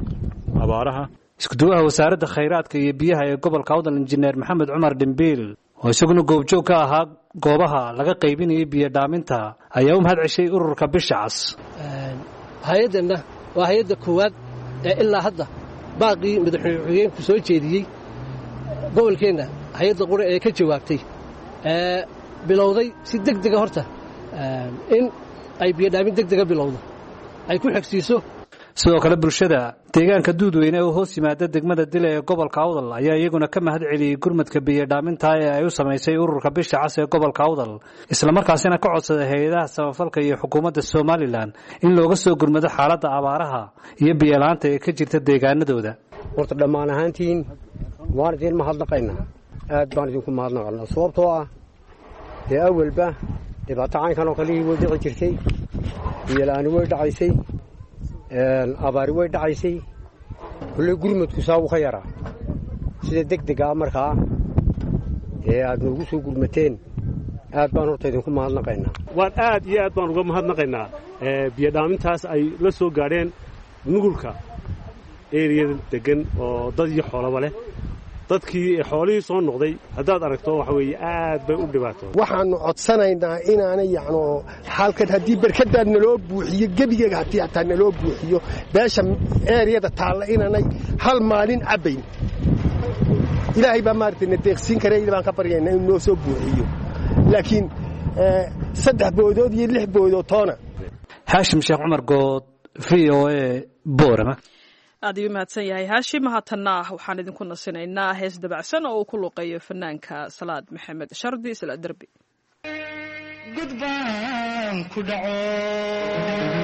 abaaraha. Iskuduwaha wasaaradda khayraadka iyo biyaha ee gobolka Awdal, injineer Maxamed Cumar Dhimbiil, oo isaguna goobjoog ka ahaa goobaha laga qaybinayay biyo dhaaminta, ayaa u mahad ceshay ururka Bisha Cas. Hay-addanna waa hay-adda koowaad ee ilaa hadda baaqii madaxweyne ku-xigeenku soo jeediyey gobolkeenna hay-adda qura ee ka jawaabtay ee bilowday si degdega horta in ay biyodhaamin degdega bilowdo ay ku xigsiiso. Sidoo kale bulshada deegaanka Duudweyne oo hoos yimaada degmada Dila ee gobolka Awdal ayaa iyaguna ka mahad celiyey gurmadka biyodhaaminta ee ay u samaysay ururka Bisha Cas ee gobolka Awdal, islamarkaasina ka codsaday hay-adaha samafalka iyo xukuumadda Somalilan in looga soo gurmado xaaladda abaaraha iyo biyola'aanta ee ka jirta deegaanadooda. Horta dhammaan ahaantiin waan idiin mahadnaqaynaa, aad baan idinku mahadnaqaynaa, sababtoo ah dee awalba dhibaato caynkan oo kalihii way dhici jirtay, biyola'aani way dhacaysay, abaari way dhacaysay, kulley gurmadku saa wuu ka yaraa. Sida deg dega ah markaa dee aad noogu soo gurmateen aad baan horta idinku mahadnaqaynaa. Waan aad iyo aad baan uga mahadnaqaynaa biyodhaamintaas ay la soo gaadheen nugulka eriyada deggan oo dad iyo xoolaba leh. Dadkii xoolihii soo noqday haddaad aragto waxa weeye aad bay u dhibaato. Waxaannu codsanaynaa inaanay yacno halkan haddii barkadaa naloo buuxiyo gebigeega haddii hataa naloo buuxiyo beesha eeriyada taalla inaanay hal maalin cabbayn. Ilaahay baa maaragtay na deeqsiin kara, ila baan ka baryaynaa inuu noo soo buuxiyo, laakiin saddex boodood iyo lix boodood toona. Haashim Sheekh Cumar Good, V O A, Boorama. Aad ayuu mahadsan yahay Haashim. Haatanna waxaan idinku nasinaynaa hees dabacsan oo uu ku luuqeeyo fanaanka Salaad Maxamed Shardi, Salaad Derbi. Gudbaan ku dhaco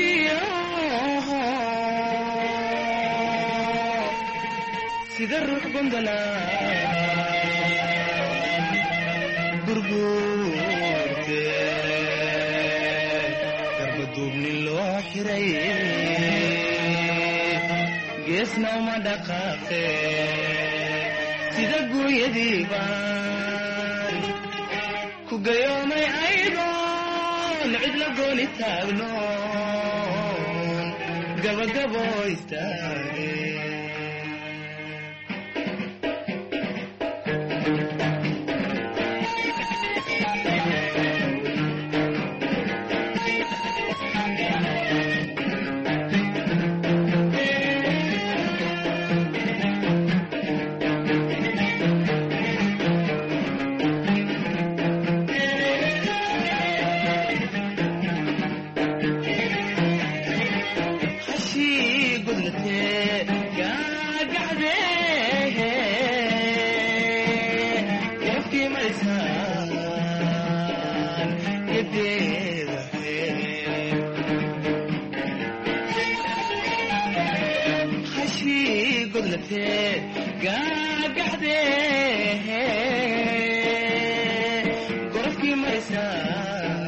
gaabiyaho sida ruux gondola gurguurte garbaduubni loo xiray geesna uma dhaqaaqe sida guunyadii baan ku gayoomay aydoon cidla gooni taagnoon gabagabo istaage. Hashii gudlatee Gagaxde gorofkii marisaan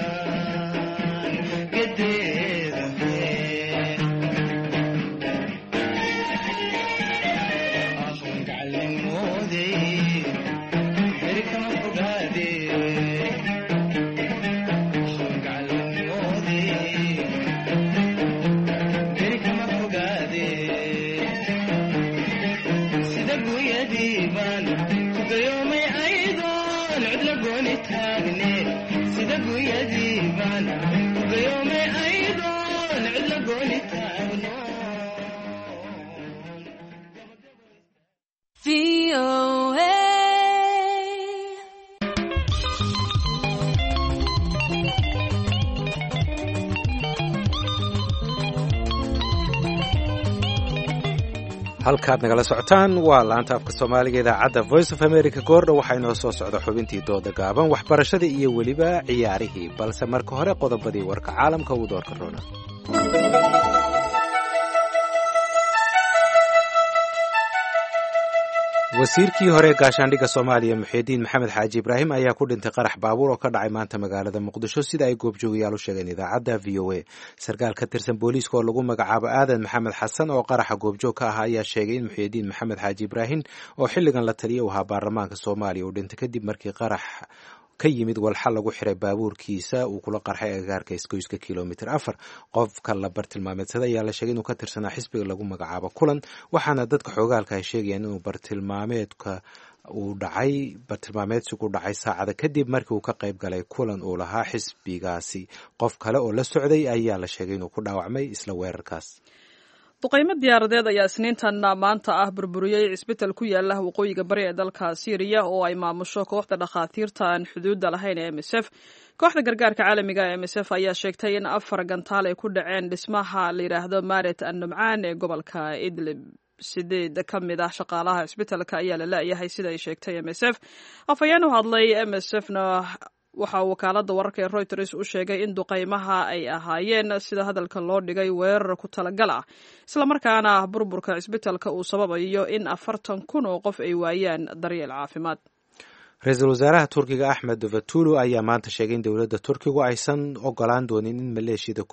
gedeeda. Ahun gacalimoodey beri kama fogaade. Ahun gacalimoodey beri kama fogaade. Sida gunyadiibaan ku gayoomay aydoon cidla gooni taagne. Sida gunyadiibaan ku gayoomay aydoon cidla gooni taagno. Halkaad nagala socotaan waa laanta afka Soomaaliga, idaacadda Voice of America. Goordha waxaa inoo soo socda xubintii dooda gaaban, waxbarashadii iyo weliba ciyaarihii, balse marka hore qodobadii warka caalamka ugu doorka roona. Wasiirkii hore gaashaandhigga Soomaaliya Muxiidiin Maxamed Xaaji Ibraahim ayaa ku dhintay qarax baabuur oo ka dhacay maanta magaalada Muqdisho, sida ay goobjoogayaal u sheegeen idaacadda V O A. Sarkaal ka tirsan booliiska oo lagu magacaabo Aadan Maxamed Xasan oo qaraxa goobjoog ka ahaa ayaa sheegay in Muxiidiin Maxamed Xaaji Ibraahim oo xilligan la taliya u ahaa baarlamaanka Soomaaliya uu dhintay kadib markii qarax ka yimid walxa lagu xiray baabuurkiisa uu kula qarxay agagaarka isgoyska kilomitir afar. Qofka la bartilmaameedsaday ayaa la sheegay inuu ka tirsanaa xisbiga lagu magacaabo Kulan, waxaana dadka xoogaalka ay sheegayaan inuu bartilmaameedka uu dhacay bartilmaameedsigu dhacay saacada kadib markii uu ka qayb galay kulan uu lahaa xisbigaasi. Qof kale oo la socday ayaa la sheegay inuu ku dhaawacmay isla weerarkaas. Duqaymo diyaaradeed ayaa Isniintan maanta ah burburiyey cisbital ku yaala waqooyiga bari ee dalka Siiriya oo ay maamusho kooxda dhakhaatiirta aan xuduudda lahayn ee M S F. Kooxda gargaarka caalamiga ee M S F ayaa sheegtay in afar gantaal ay ku dhaceen dhismaha la yidhaahdo Maret an Numcaan ee gobolka Idlib. Sideed ka mid ah shaqaalaha cisbitalka ayaa la la'yahay, sida ay sheegtay M S F. Afhayeen u hadlay M S F na waxaa wakaaladda wararka ee Reuters u sheegay in duqaymaha ay ahaayeen, sida hadalka loo dhigay, weerar ku talagal ah, islamarkaana burburka cisbitalka uu sababayo in afartan kun oo qof ay waayaan daryeel caafimaad. Ra-iisul wasaaraha Turkiga Axmed Davutulu ayaa maanta sheegay in dowladda Turkigu aysan ogolaan doonin in maleeshiyada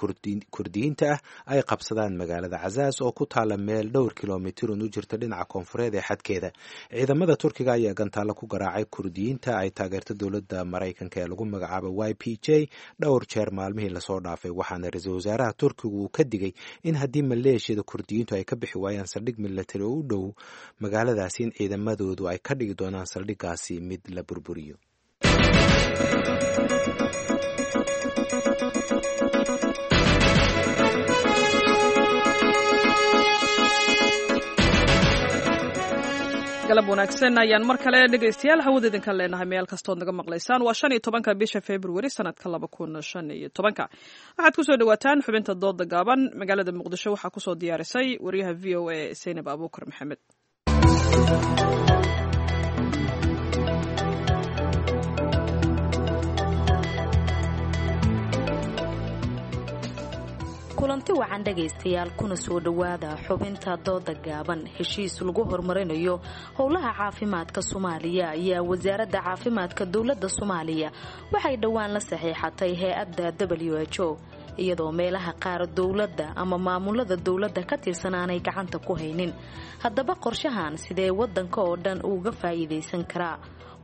Kurdiyiinta ah ay qabsadaan magaalada Cazaas oo ku taala meel dhowr kilomitirun u jirta dhinaca koonfureed ee xadkeeda. Ciidamada Turkiga ayaa gantaalo ku garaacay Kurdiyiinta ay taageerto dowladda Maraykanka ee lagu magacaabo Y P J dhowr jeer maalmihii lasoo dhaafay, waxaana ra-iisul wasaaraha Turkigu uu ka digay in haddii maleeshiyada Kurdiyiintu ay ka bixi waayaan saldhig milatari oo u dhow magaaladaasi, in ciidamadoodu ay ka dhigi doonaan saldhiggaasi mid la burburiyo. Galab wanaagsan ayaan mar kale dhegaystayaal hawada idinka leenahay meel kastood naga maqlaysaan. Waa shan iyo tobanka bisha Februari sanadka laba kun shan iyo tobanka. Waxaad kusoo dhawaataan xubinta dooda gaaban. Magaalada Muqdisho waxaa kusoo diyaarisay wariyaha V O A Saynab Abuukar Maxamed. Kulanti wacan dhegaystayaal, kuna soo dhowaada xubinta dooda gaaban. Heshiis lagu horumarinayo howlaha caafimaadka Soomaaliya ayaa wasaaradda caafimaadka dowladda Soomaaliya waxay dhowaan la saxiixatay hay-adda W H O, iyadoo meelaha qaar dowladda ama maamulada dowladda ka tirsan aanay gacanta ku haynin. Haddaba qorshahan sidee wadanka oo dhan uga faa'iidaysan karaa?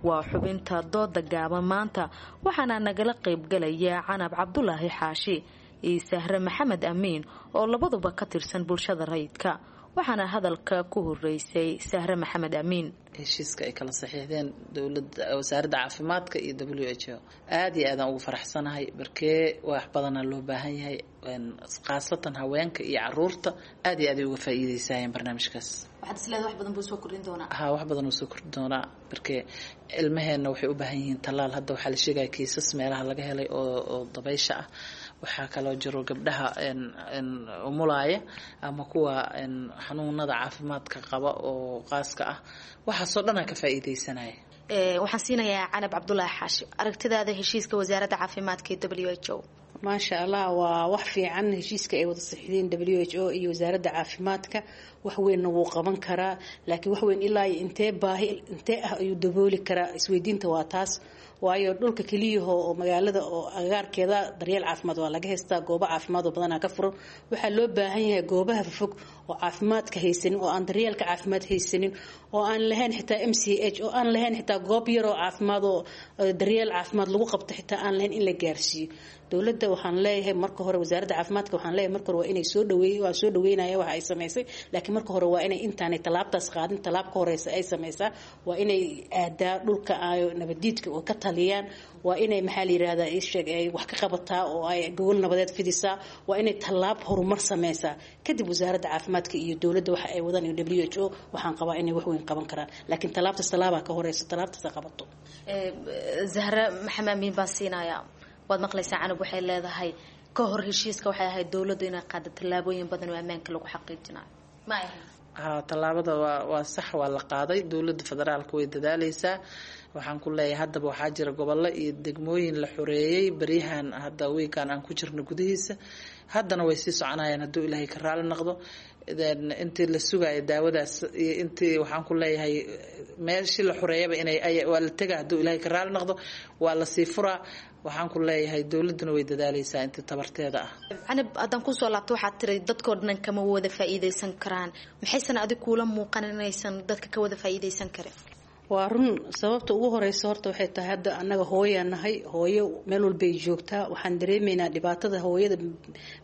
Waa xubinta dooda gaaban maanta, waxaana nagala qaybgalaya Canab Cabdulaahi Xaashi iyo Sahre Maxamed Amiin oo labaduba ka tirsan bulshada rayidka. Waxaana hadalka ku horeysay Sahre Maxamed Amiin. Heshiiska ay kala saxiixdeen dowlada, wasaaradda caafimaadka iyo W H O, aada iyo aadaan ugu faraxsanahay. Barkee wax badanaa loo baahan yahay, khaasatan haweenka iyo caruurta aada iyo aad ay uga faa'iideysayeen barnaamijkaas. Waxaad isleedahay wax badan buu soo kordhin doonaa? Ha, wax badan uu soo kordhin doonaa. Barkee ilmaheenna waxay u baahan yihiin tallaal. Hadda waxaa la sheegaya kiisas meelaha laga helay oo oo dabaysha ah. Waxaa kaloo jiro gabdhaha umulaaya ama kuwa xanuunada caafimaadka qaba oo qaaska ah, waxaasoo dhanaa ka faa'iideysanaya. Waxaan siinayaa Canab Cabdulaahi Xaashi, aragtidaada heshiiska wasaaradda caafimaadka ee W H O. Maasha Allah, waa wax fiican heshiiska ay wada saxiixdeen W H O iyo wasaaradda caafimaadka. Wax weynna wuu qaban karaa, laakiin wax weyn ilaa iyo intee baahi intee ah ayuu dabooli karaa? Isweydiinta waa taas. Waayo dhulka keliyaho oo magaalada oo agagaarkeeda daryeel caafimaad waa laga haystaa, goobo caafimaad oo badanaa ka furan. Waxaa loo baahan yahay goobaha fofog oo caafimaadka haysanin, oo aan daryeelka caafimaad haysanin, oo aan lahayn xitaa M C H, oo aan lahayn xitaa goob yar oo caafimaad oo daryeel caafimaad lagu qabto xitaa aan lahayn, in la gaarsiiyo. Dowladda waxaan leeyahay marka hore, wasaaradda caafimaadka waxaan leeyahay marka hore waa inay soo dhaweey, waa soo dhaweynaya waxa ay samaysay, laakiin marka hore waa inay intaanay tallaabtaas qaadin tallaab ka horeysa ay samaysaa. Waa inay aadaa dhulka ay nabadiidka oo ka taliyaan, waa inay maxaa la yirahdaa ii sheeg ay wax ka qabataa oo ay gogol nabadeed fidisaa, waa inay tallaab horumar sameysaa. Kadib wasaaradda caafimaadka iyo dowladda waxa ay wadaan iyo W H O waxaan qabaa inay wax weyn qaban karaan, laakiin tallaabtaas tallaabaa ka horeysa, tallaabtaas ha qabato. Zahra Maxamed Amiin baan siinayaa. Waad maqlaysaa Canab, waxay leedahay ka hor heshiiska waxay ahayd dowladdu inay qaado tallaabooyin badan oo ammaanka lagu xaqiijinayo. Ma ahayn? Ha, tallaabada waa waa sax, waa la qaaday. Dowladda federaalka way dadaaleysaa. Waxaan ku leeyahay haddaba waxaa jira gobollo iyo degmooyin la xoreeyey baryahan hadda wiigan aan ku jirno gudihiisa, haddana way sii soconayaan hadduu Ilaahay ka raali noqdo. Intii la sugayo daawadaas iyo intii waxaan ku leeyahay meeshii la xoreeyaba inay waa la tegaa hadduu Ilaahay ka raali noqdo, waa lasii furaa. Waxaan ku leeyahay dowladduna way dadaaleysaa intii tabarteeda ah. Canab, haddaan kusoo laabto, waxaad tiri dadkoo dhan kama wada faa'iideysan karaan. Maxaysan adig kuula muuqan inaysan dadka ka wada faa'iideysan karin? Waa run. Sababta ugu horeysa horta waxay tahay hadda annaga hooyaa nahay, hooyo meel walbay joogtaa. Waxaan dareemaynaa dhibaatada hooyada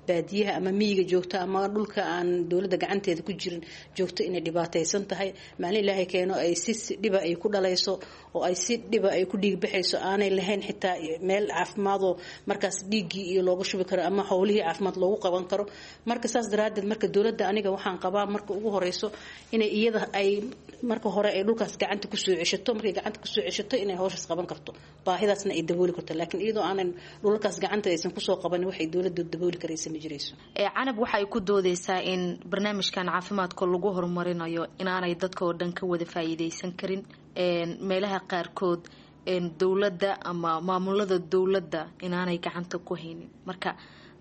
baadiyaha ama miyiga joogta ama dhulka aan dowladda gacanteeda ku jirin joogto inay dhibaataysan tahay. Maalin Ilaahay keeno ay si dhiba ay ku dhalayso oo ay si dhiba ay ku dhiig baxayso, aanay lahayn xitaa meel caafimaadoo markaas dhiiggii iyo looga shubi karo ama howlihii caafimaad loogu qaban karo. Marka saas daraaddeed marka dowladda aniga waxaan qabaa marka ugu horeyso inay iyada ay marka hore ay dhulkaas gacanta kusoo ceshato. Markay gacanta kusoo ceshato inay hawshaas qaban karto, baahidaasna ay dabooli karto. Laakiin iyadoo aanan dhulalkaas gacanta aysan kusoo qabanin waxay dowladda dabooli karaysa ma jirayso. Canab waxay ku doodeysaa in barnaamijkan caafimaadka lagu horumarinayo inaanay dadka oo dhan ka wada faa'iideysan karin, meelaha qaarkood dowladda ama maamulada dowladda inaanay gacanta ku haynin. Marka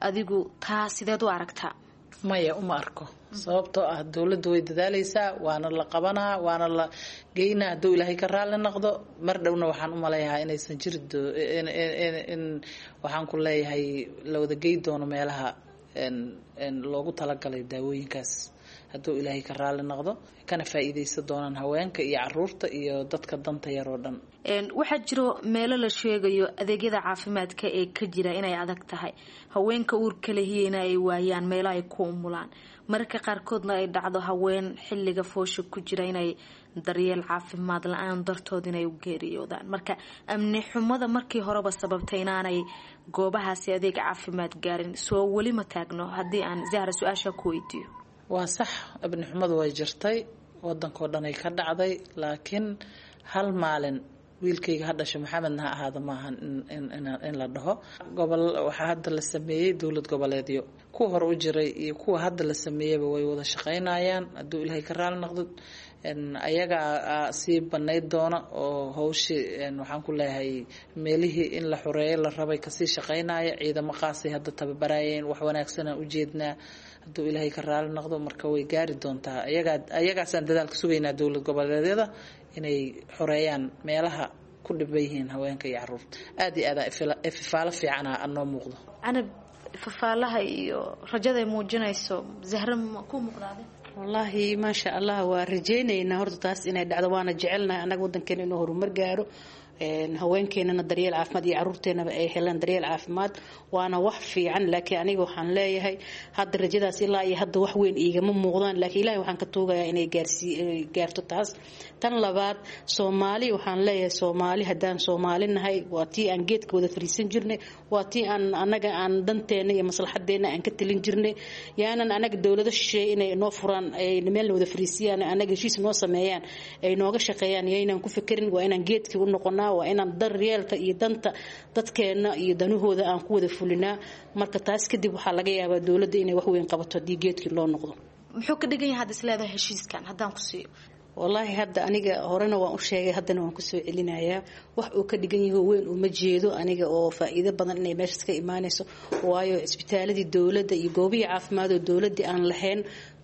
adigu taa sideed u aragtaa? Maya, uma arko. Sababtoo ah dowladda way dadaaleysaa, waana la qabanaa, waana la geynaa hadduu Ilaahay ka raali noqdo. Mar dhowna waxaan u maleeyahaa inaysan jiri in waxaan ku leeyahay la wada gey doono meelaha loogu talagalay daawooyinkaas hadduu Ilaahay ka raali noqdo, kana faa'iideysan doonaan haweenka iyo caruurta iyo dadka danta yar oo dhan. Waxaa jiro meelo la sheegayo adeegyada caafimaadka ee ka jira inay adag tahay, haweenka uurka lehiyeyna ay waayaan meelo ay ku umulaan, mararka qaarkoodna ay dhacdo haween xilliga foosha ku jira inay daryeel caafimaad la-aan dartood inay u geeriyoodaan. Marka amni xumada markii horeba sababtay inaanay goobahaasi adeeg caafimaad gaarin soo weli ma taagno? Haddii aan Zahra su-aasha ku weydiiyo. Waa sax, amni xumadu way jirtay, wadankoo dhan ay ka dhacday, laakiin hal maalin wiilkayga ha dhasho Maxamedna ha ahaado maahan in la dhaho. Gobol waxaa hadda la sameeyey dowlad goboleedyo, kuwa hore u jiray iyo kuwa hadda la sameeyeyba way wada shaqeynayaan hadduu Ilaahay ka raali noqdo. Ayagaa sii banayd doona oo hawshii waxaan ku leeyahay meelihii in la xoreeyo la rabay kasii shaqeynaya. Ciidamo qaasay hadda tababarayeen, wax wanaagsanaan ujeednaa hadduu Ilaahay ka raali noqdo. Marka way gaari doontaa, ayagaa ayagaasaan dadaalka sugaynaa dowlad goboleedyada inay xoreeyaan meelaha ku dhiban yihiin haweenka iyo caruurta. Aada iyo aada ifafaalo fiicana anoo muuqdo. Canab, fafaalaha iyo rajada ay muujinayso Zahra ma ku muuqdaade? Wallaahi maasha Allah, waa rajeynaynaa horta taas inay dhacdo, waana jecelnahay annaga wadankeena inuu horumar gaaro, haweenkeenana daryeel caafimaad iyo caruurteenaba ay helaan daryeel caafimaad, waana wax fiican. Laakiin aniga waxaan leeyahay hadda rajadaas ilaa iyo hadda wax weyn iigama muuqdaan, laakiin Ilahay waxaan ka tuugayaa inay gaarsii gaarto taas. Tan labaad, Soomaali waxaan leeyahay, Soomaali haddaan Soomaali nahay waa tii aan geedka wada fariisan jirnay, waa tii aan anaga aan danteena iyo maslaxadeena aan ka talin jirnay. Yaanan anaga dowlado shisheeye inay noo furaan, ay meelna wada fariisiyaan, anaga heshiis noo sameeyaan, ay nooga shaqeeyaan, yaynan ku fikirin. Waa inaan geedkii u noqonaa, waa inaan daryeelka iyo danta dadkeena iyo danahooda aan ku wada fulinaa. Marka taas kadib waxaa laga yaabaa dowladda inay wax weyn qabato haddii geedkii loo noqdo. Muxuu ka dhigan yahay hadda is leedahay heshiiskan haddaan ku siiyo? Wallaahi hadda aniga horena waan u sheegay, haddana waan kusoo celinayaa, wax uu ka dhigan yaho weyn uma jeedo aniga oo faa'iido badan inay meeshaas ka imaanayso, waayo cisbitaaladii dowladda iyo goobihii caafimaad oo dowladdii aan lahayn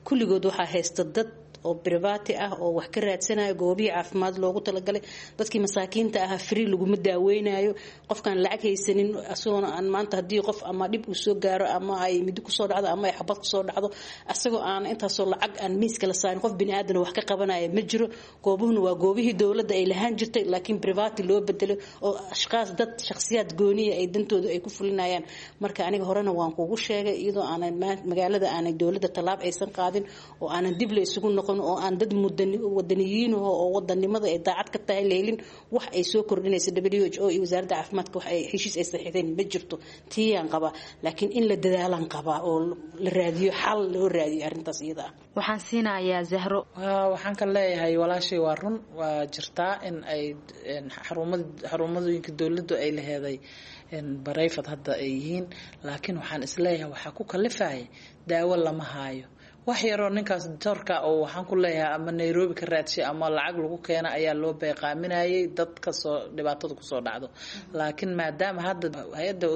kulligood waxaa haysta dad oo private ah oo wax ka raadsanayo. Goobihii caafimaad loogu talagalay dadkii masaakiinta ahaa free laguma daaweynayo. Qofkaan lacag haysanin asagoona aan maanta haddii qof ama dhib uu soo gaaro ama ay midi kusoo dhacdo ama ay xabad kusoo dhacdo, asagoo aan intaasoo lacag aan miiska la saarin qof bini aadan wax ka qabanaya ma jiro. Goobuhuna waa goobihii dowladda ay lahaan jirtay, laakiin private loo bedelay oo ashqaas dad shakhsiyaad gooniya ay dantooda ay ku fulinayaan. Marka aniga horena waan kugu sheegay, iyadoo aanan magaalada aanay dowladda tallaab aysan qaadin oo aanan dib la isugu noqon oo aan dad wadaniyiin oo wadanimada ay daacad ka tahay leelin, wax ay soo kordhinaysa W H O iyo wasaaradda caafimaadka wax ay heshiis ay saxiixdeen ma jirto. Tiiyaan qabaa, laakiin in la dadaalaan qabaa oo la raadiyo xal loo raadiyo arrintaas iyada ah. Waxaan siinayaa Zahro. Waxaan ka leeyahay walaashay, waa run, waa jirtaa in ay xarumad xarumadooyinka dowladdu ay laheeday barayfad hadda ay yihiin, laakiin waxaan isleeyahay waxaa ku kalifaya daawo lama haayo. Wax yaroo ninkaas doctorka oo waxaan ku leeyahay ama Nairobi ka raadshay ama lacag lagu keena ayaa loo beeqaaminayay dadka soo dhibaatada kusoo dhacdo. Laakiin maadaama hadda hay-adda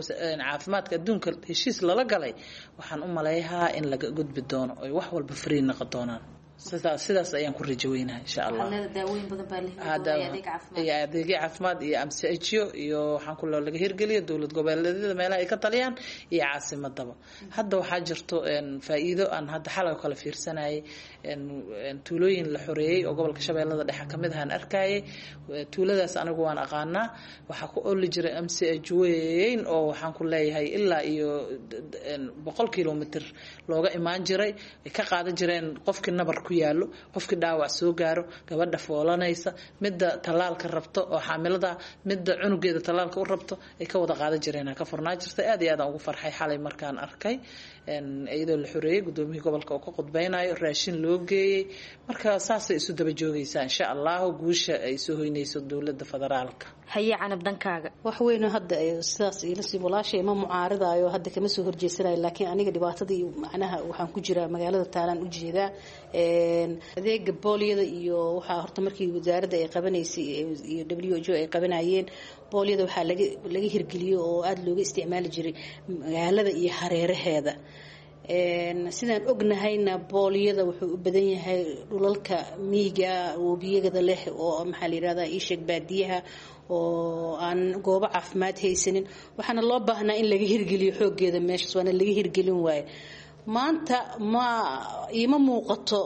caafimaadka adduunka heshiis lala galay, waxaan u maleeyahaa in laga gudbi doono oy wax walba free noqon doonaan. Sidaas sidaas ayaan ku rajo weynaha insha Allah. Iyo adeegyo caafimaad iyo amsiajiyo iyo waxaan ku laga hirgeliyo dowlad goboleedyada meelaha ay ka taliyaan iyo caasimadaba. Hadda waxaa jirto faa'iido aan hadda xalay kala fiirsanayay, tuulooyin la xoreeyey oo gobolka Shabeellada Dhexe kamid ahaan arkayay. Tuuladaas anigu waan aqaanaa, waxaa ku oli jiray M C H weyn oo waxaan ku leeyahay ilaa iyo boqol kilomitr looga imaan jiray, ay ka qaadan jireen qofkii nabar ku yaalo, qofkii dhaawac soo gaaro, gabadha foolanaysa, midda tallaalka rabto oo xaamilada, midda cunugeeda tallaalka u rabto, ay ka wada qaadan jireen. Ka furnaa jirtay. Aad iyo aad aan ugu farxay xalay markaan arkay iyadoo la xoreeyey, gudoomiyihii gobolka oo ka qudbeynayo, raashin loo geeyey. Marka saasay isu daba joogaysaa insha allahu guusha ay soo hoynayso dowladda federaalka. Haye Canab, dhankaaga. Wax weyn hadda sidaas ilasii walaashay ma mucaaradayo, hadda kama soo horjeesanayo, laakiin aniga dhibaatadii macnaha waxaan ku jiraa magaalada taalaan u jeedaa. Adeega booliyada iyo waxaa horta markii wasaaradda ay qabanaysay iyo W H O ay qabanayeen booliyada, waxaa laga laga hirgeliyey oo aada looga isticmaali jiray magaalada iyo hareeraheeda. Sidaan ognahayna booliyada wuxuu u badan yahay dhulalka miyiga webiyada leh oo maxaa la yirahdaa iisheeg baadiyaha oo aan goobo caafimaad haysanin. Waxaana loo baahnaa in laga hirgeliyo xooggeeda meeshaas, waana laga hirgelin waaye. Maanta ma iima muuqato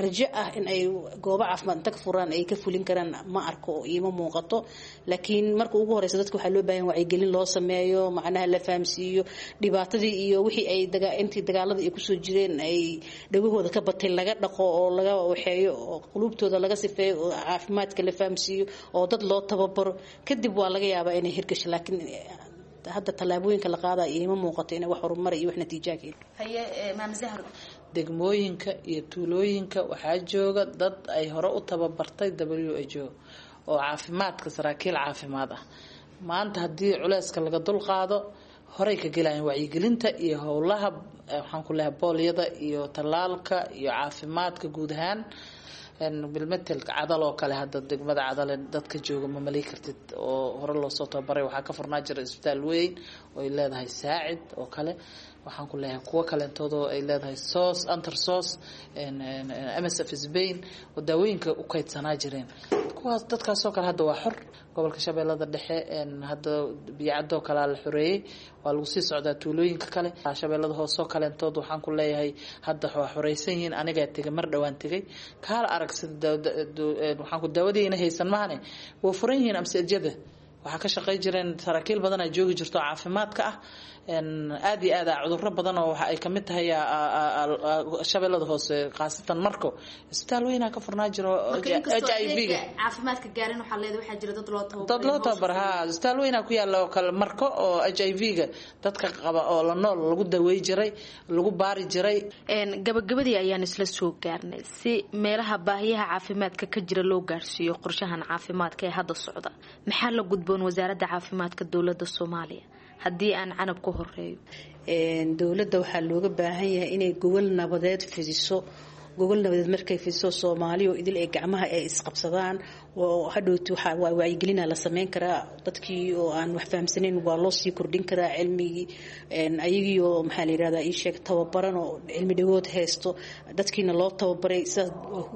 rajo ah in ay goobo caafimaad inta ka furaan ay ka fulin karaan, ma arko oo iima muuqato. Laakiin marka ugu horeysa dadka waxaa loo baahan wacyigelin loo sameeyo, macnaha la fahamsiiyo dhibaatadii iyo wixii ay daga intii dagaalada ay kusoo jireen ay dhagahooda ka batay, laga dhaqo oo laga waxeeyo oo quluubtooda laga sifeeyo oo caafimaadka la fahamsiiyo oo dad loo tababaro. Kadib waa laga yaabaa inay hirgasho, laakiin hadda tallaabooyinka la qaadaya iima muuqato inay wax horumar iyo wax natiijaa keen. Haye Maam Zahro. Degmooyinka iyo tuulooyinka waxaa jooga dad ay hore u tababartay W H O oo caafimaadka saraakiil caafimaad ah. Maanta haddii culeyska laga dul qaado, horey ka gelayaan wacyigelinta iyo howlaha waxaan ku leeyahay boolyada iyo tallaalka iyo caafimaadka guud ahaan. Bilmetelka Cadal oo kale, hadda degmada Cadale dadka jooga ma malay kartid oo hore loosoo tababaray. Waxaa ka furnaa jira isbitaal weyn oo ay leedahay Saacid oo kale, waxaan ku leeyahay kuwo kaleentoodoo ay leedahay sos antersos M S F Spain oo daawooyinka u kaydsanaa jireen. Kuwaas dadkaasoo kale hadda waa xor. Gobolka Shabeellada Dhexe hadda Biyacadoo kalea la xoreeyey, waa lagu sii socdaa tuulooyinka kale. Shabeellada Hoosoo kaleentood waxaan ku leeyahay hadda waa xoreysan yihiin. Anigaa tegay, mar dhowaan tegay, kaala arag sida waxaan ku daawadiina haysan mahane, waa furan yihiin amsajada. Waxaa ka shaqey jireen saraakiil badan ay joogi jirto caafimaadka ah. Aada iyo aad a cuduro badan oo waxa ay kamid tahay Shabeellada Hoose, khaasatan Marko, isbitaal weynaa ka furnaa jiro H I V ga caafimaadka gaarin. Waxaa leedahay waxaa jira dad loo tababaray, dad loo tababar ha isbitaal weynaa ku yaala oo kale Marko oo H I V ga dadka qaba oo la nool lagu daweey jiray, lagu baari jiray. Gabagabadii ayaan isla soo gaarnay. Si meelaha baahiyaha caafimaadka ka jira loo gaarsiiyo qorshahan caafimaadka ee hadda socda, maxaa la gudboon wasaaradda caafimaadka dowladda Soomaaliya? Haddii aan Canab ku horeeyo. Dowladda waxaa looga baahan yahay inay gobol nabadeed fidiso Gogol nabadeed markay fidiso, Soomaaliya oo idil ay gacmaha ay isqabsadaan oo hadhowti waxaa waa wacyigelina la sameyn karaa. Dadkii oo aan wax fahamsanayn waa loo sii kordhin karaa cilmigii, ayagii oo maxaa la yirahdaa ii sheeg tababaran oo cilmi dhagood haysto, dadkiina loo tababaray. Sidaas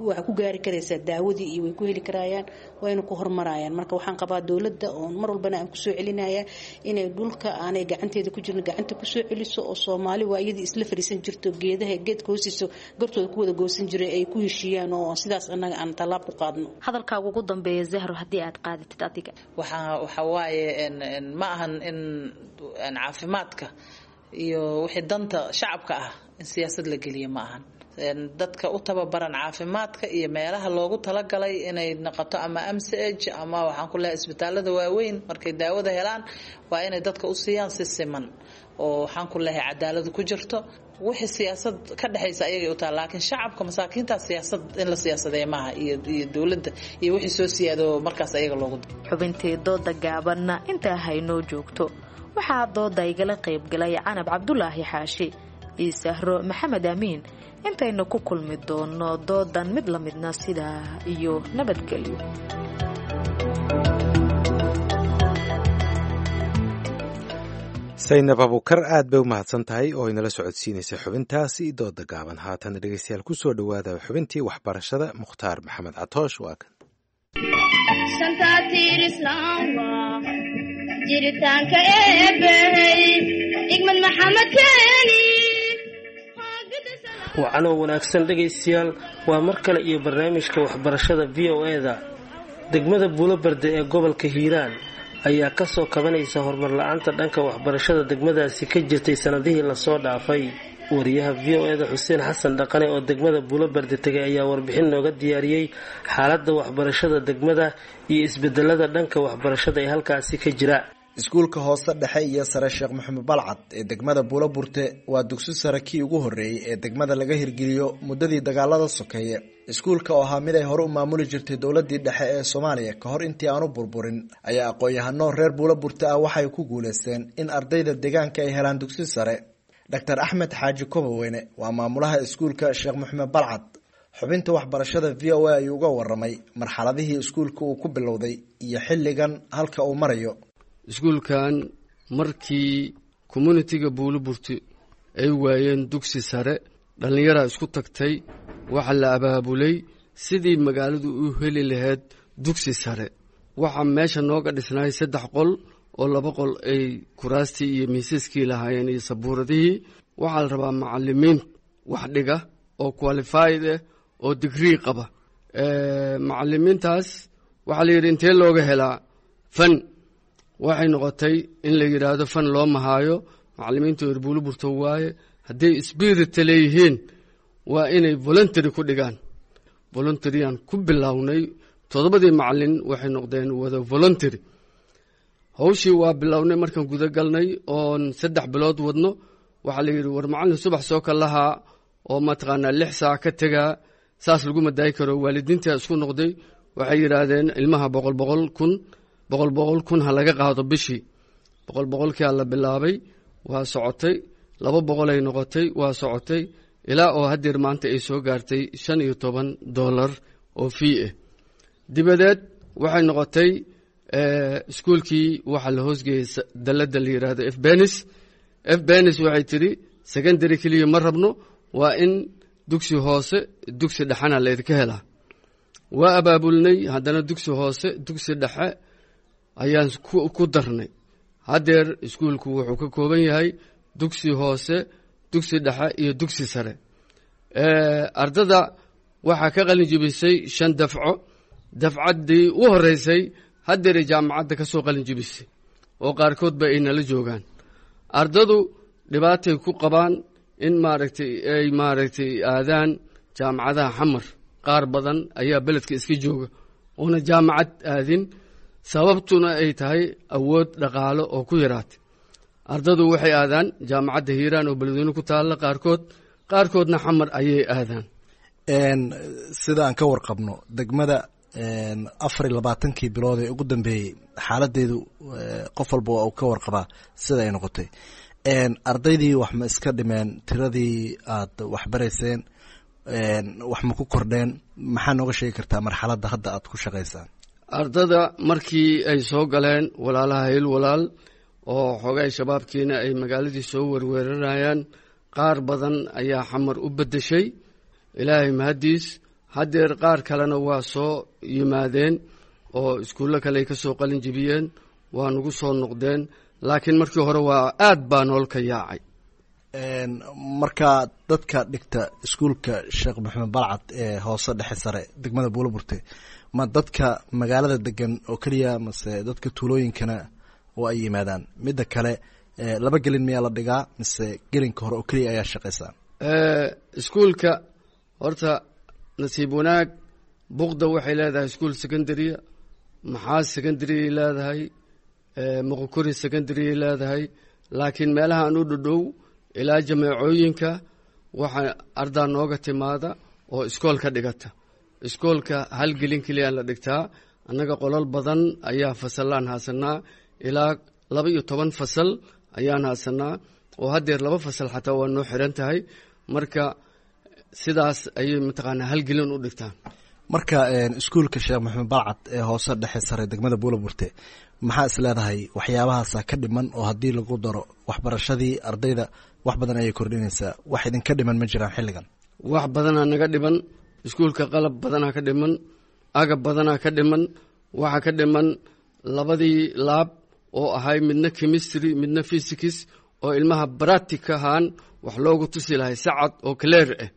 waxaa ku gaari karaysaa daawadii iyo way ku heli karayaan, wayna ku horumarayaan. Marka waxaan qabaa dowladda oon mar walbana aan kusoo celinaya inay dhulka aanay gacanteeda ku jirin gacanta kusoo celiso, oo Soomaali waa iyadii isla fadhiisan jirto geedaha geedka hoostiisa gartooda ku wada goosan jiray ay ku heshiiyaan, oo sidaas annaga aan tallaab ku qaadno. Hadalkaaga ugu dambeeya, Zahro, haddii aad qaadatid adiga. Waxaa waxa waaye ma ahan in caafimaadka iyo wixii danta shacabka ah in siyaasad la geliyo, ma ahan. Dadka u tababaran caafimaadka iyo meelaha loogu talagalay inay noqoto ama M C H ama waxaan ku leeyahay isbitaalada waaweyn, markay daawada helaan waa inay dadka u siiyaan si siman oo waxaan ku leeyahay cadaaladu ku jirto. Wixii siyaasad ka dhexaysa ayagay u tahay, laakiin shacabka masaakiinta siyaasad in la siyaasadeeya maaha, iyo iyo dowladda iyo wixii soo siyaado markaas ayaga loogu. Xubintii dooda gaabanna intaa haynoo joogto. Waxaa dooda igala qaybgalay Canab Cabdulaahi Xaashi iyo Sahro Maxamed Amiin. Intaynu ku kulmi doono doodan mid la midna, sidaa iyo nabadgelyo. Saynab Abuukar aad bay u mahadsan tahay oo inala socodsiinaysay xubintaasi dooda gaaban. Haatan dhegeystayaal, kusoo dhowaada xubintii waxbarashada. Mukhtaar Maxamed Catoosh waa kan. Jiritaanka eebbahey igmad Maxamed keeni. Wacanoo wanaagsan dhegaystayaal, waa mar kale iyo barnaamijka waxbarashada V O E-da. Degmada Buulobarde ee gobolka Hiiraan ayaa kasoo kabanaysa horumar la-aanta dhanka waxbarashada degmadaasi ka jirtay sanadihii lasoo dhaafay. Wariyaha V O E-da Xuseen Xasan Dhaqane oo degmada Buulobarde tegay ayaa warbixin nooga diyaariyey xaaladda waxbarashada degmada iyo isbedelada dhanka waxbarashada ee halkaasi ka jira. Iskuulka hoose dhexe iyo sare Sheekh Maxamed Balcad ee degmada Buuloburte waa dugsi sare kii ugu horreeyey ee degmada laga hirgeliyo muddadii dagaalada sokeeye. Iskuulka oo ahaa mid ay hore u maamuli jirtay dowladii dhexe ee Soomaaliya ka hor intii aanu burburin ayaa aqoon-yahano reer Buuloburte ah waxay ku guuleysteen in ardayda deegaanka ay helaan dugsi sare. Doctor Axmed Xaaji Kobaweyne waa maamulaha iskuulka Sheekh Maxamed Balcad. Xubinta waxbarashada V O A ayuu uga waramay marxaladihii iskuulka uu ku bilowday iyo xilligan halka uu marayo. Iskuulkan markii communitiga Buuloburti ay waayeen dugsi sare, dhallinyaraa isku tagtay, waxaa la abaabulay sidii magaaladu u heli lahayd dugsi sare. Waxaa meesha nooga dhisnay saddex qol oo laba qol ay kuraastii iyo miisaskii lahaayeen iyo sabuuradihii. Waxaa la rabaa macallimiin wax dhiga oo qualified ah oo digrii qaba. Macallimiintaas waxaa la yidhi intee looga helaa fan? Waxay noqotay in la yidhaahdo fan loo mahaayo, macallimiintu reer Buuloburto waaye, hadday spirita leeyihiin waa inay voluntary ku dhigaan. Voluntaryaan ku bilownay, toddobadii macallin waxay noqdeen wada voluntary. Hawshii waa bilownay markaan guda galnay oon saddex bilood wadno, waxaa la yidhi war macallin subax soo kalahaa oo mataqaanaa lix saac ka tegaa saas laguma daayi karo. Waalidiintaa isku noqday, waxay yidhaahdeen ilmaha boqol boqol kun boqol boqol kun ha laga qaado bishii. Boqol boqolkia la bilaabay, waa socotay, laba boqol ay noqotay, waa socotay ilaa oo haddeer maanta ay soo gaartay shan iyo toban dollar oo fii ah. Dibadeed waxay noqotay iskuulkii waxaa la hoosgeeyey dalladda la yidhaahdo F Benis. F Benis waxay tidhi secondary keliya ma rabno, waa in dugsi hoose dugsi dhexena laydinka helaa. Waa abaabulnay haddana dugsi hoose dugsi dhexe ayaan ku darnay. Haddeer iskuulku wuxuu ka kooban yahay dugsi hoose, dugsi dhexe iyo dugsi sare. Ardada waxaa ka qalin jibisay shan dafco. Dafcaddii u horreysay haddeeray jaamacadda ka soo qalin jibisay oo qaarkoodba ay nala joogaan. Ardadu dhibaatay ku qabaan in maaragtay ay maaragtay aadaan jaamacadaha Xamar. Qaar badan ayaa beledka iska jooga oona jaamacad aadin, sababtuna ay tahay awood dhaqaalo oo ku yaraatay. Ardadu waxay aadaan jaamacadda Hiiraan oo Beledweyne ku taalla qaarkood, qaarkoodna Xamar ayay aadaan. Sida aan ka warqabno degmada afar iyo labaatankii bilood ee ugu dambeeyey xaaladeedu qof walba waa uu ka warqabaa sida ay noqotay. Ardaydii wax ma iska dhimeen tiradii aad waxbarayseen? Wax ma ku kordheen? Maxaa nooga sheegi kartaa marxaladda hadda aad ku shaqaysaan? Ardada markii ay soo galeen walaalaha Hiil Walaal oo xoogay shabaabkiina ay magaaladii soo werweeranayaan, qaar badan ayaa Xamar u beddeshay, Ilaahay mahaddiis. Haddeer qaar kalena waa soo yimaadeen oo iskuullo kale ay ka soo qalin jibiyeen, waa nagu soo noqdeen, laakiin markii hore waa aad baa nool ka yaacay. Marka dadka dhigta iskuulka Sheekh Maxamed Balcad ee hoose dhexe sare degmada Buulaburte, ma dadka magaalada degan oo keliya mase dadka tuulooyinkana oo ay yimaadaan? Midda kale, laba gelin miyaa la dhigaa mise gelinka hore oo keliya ayaa shaqaysaa? Iskuulka horta nasiib wanaag Buqda waxay leedahay iskuul secondarya, Maxaa secondaryay leedahay, Moqokori secondaryay leedahay, laakiin meelaha aan u dhodhow ilaa jameecooyinka waxaa ardaa nooga timaada oo iskoolka dhigata. Iskoolka hal gelin keliyaa la dhigtaa. Annaga qolal badan ayaa fasallaan haasanaa, ilaa laba iyo toban fasal ayaan haasanaa, oo haddeer laba fasal xataa waa noo xiran tahay. Marka sidaas ayay mataqaanaa hal gelin u dhigtaan. Marka iskuulka Sheekh Maxamed Balcad ee hoose dhexe sare degmada Buulaburte, maxaa is leedahay waxyaabahaasa ka dhiman oo haddii lagu daro waxbarashadii ardayda wax badan ayay kordhinaysaa? Wax idinka dhiman ma jiraan xilligan? Wax badanaa naga dhiman iskuulka, qalab badanaa ka dhiman, agab badanaa ka dhiman. Waxaa ka dhiman labadii laab oo ahay midna chemistry midna physics, oo ilmaha practic ahaan wax loogu tusi lahay sacad oo clear ah.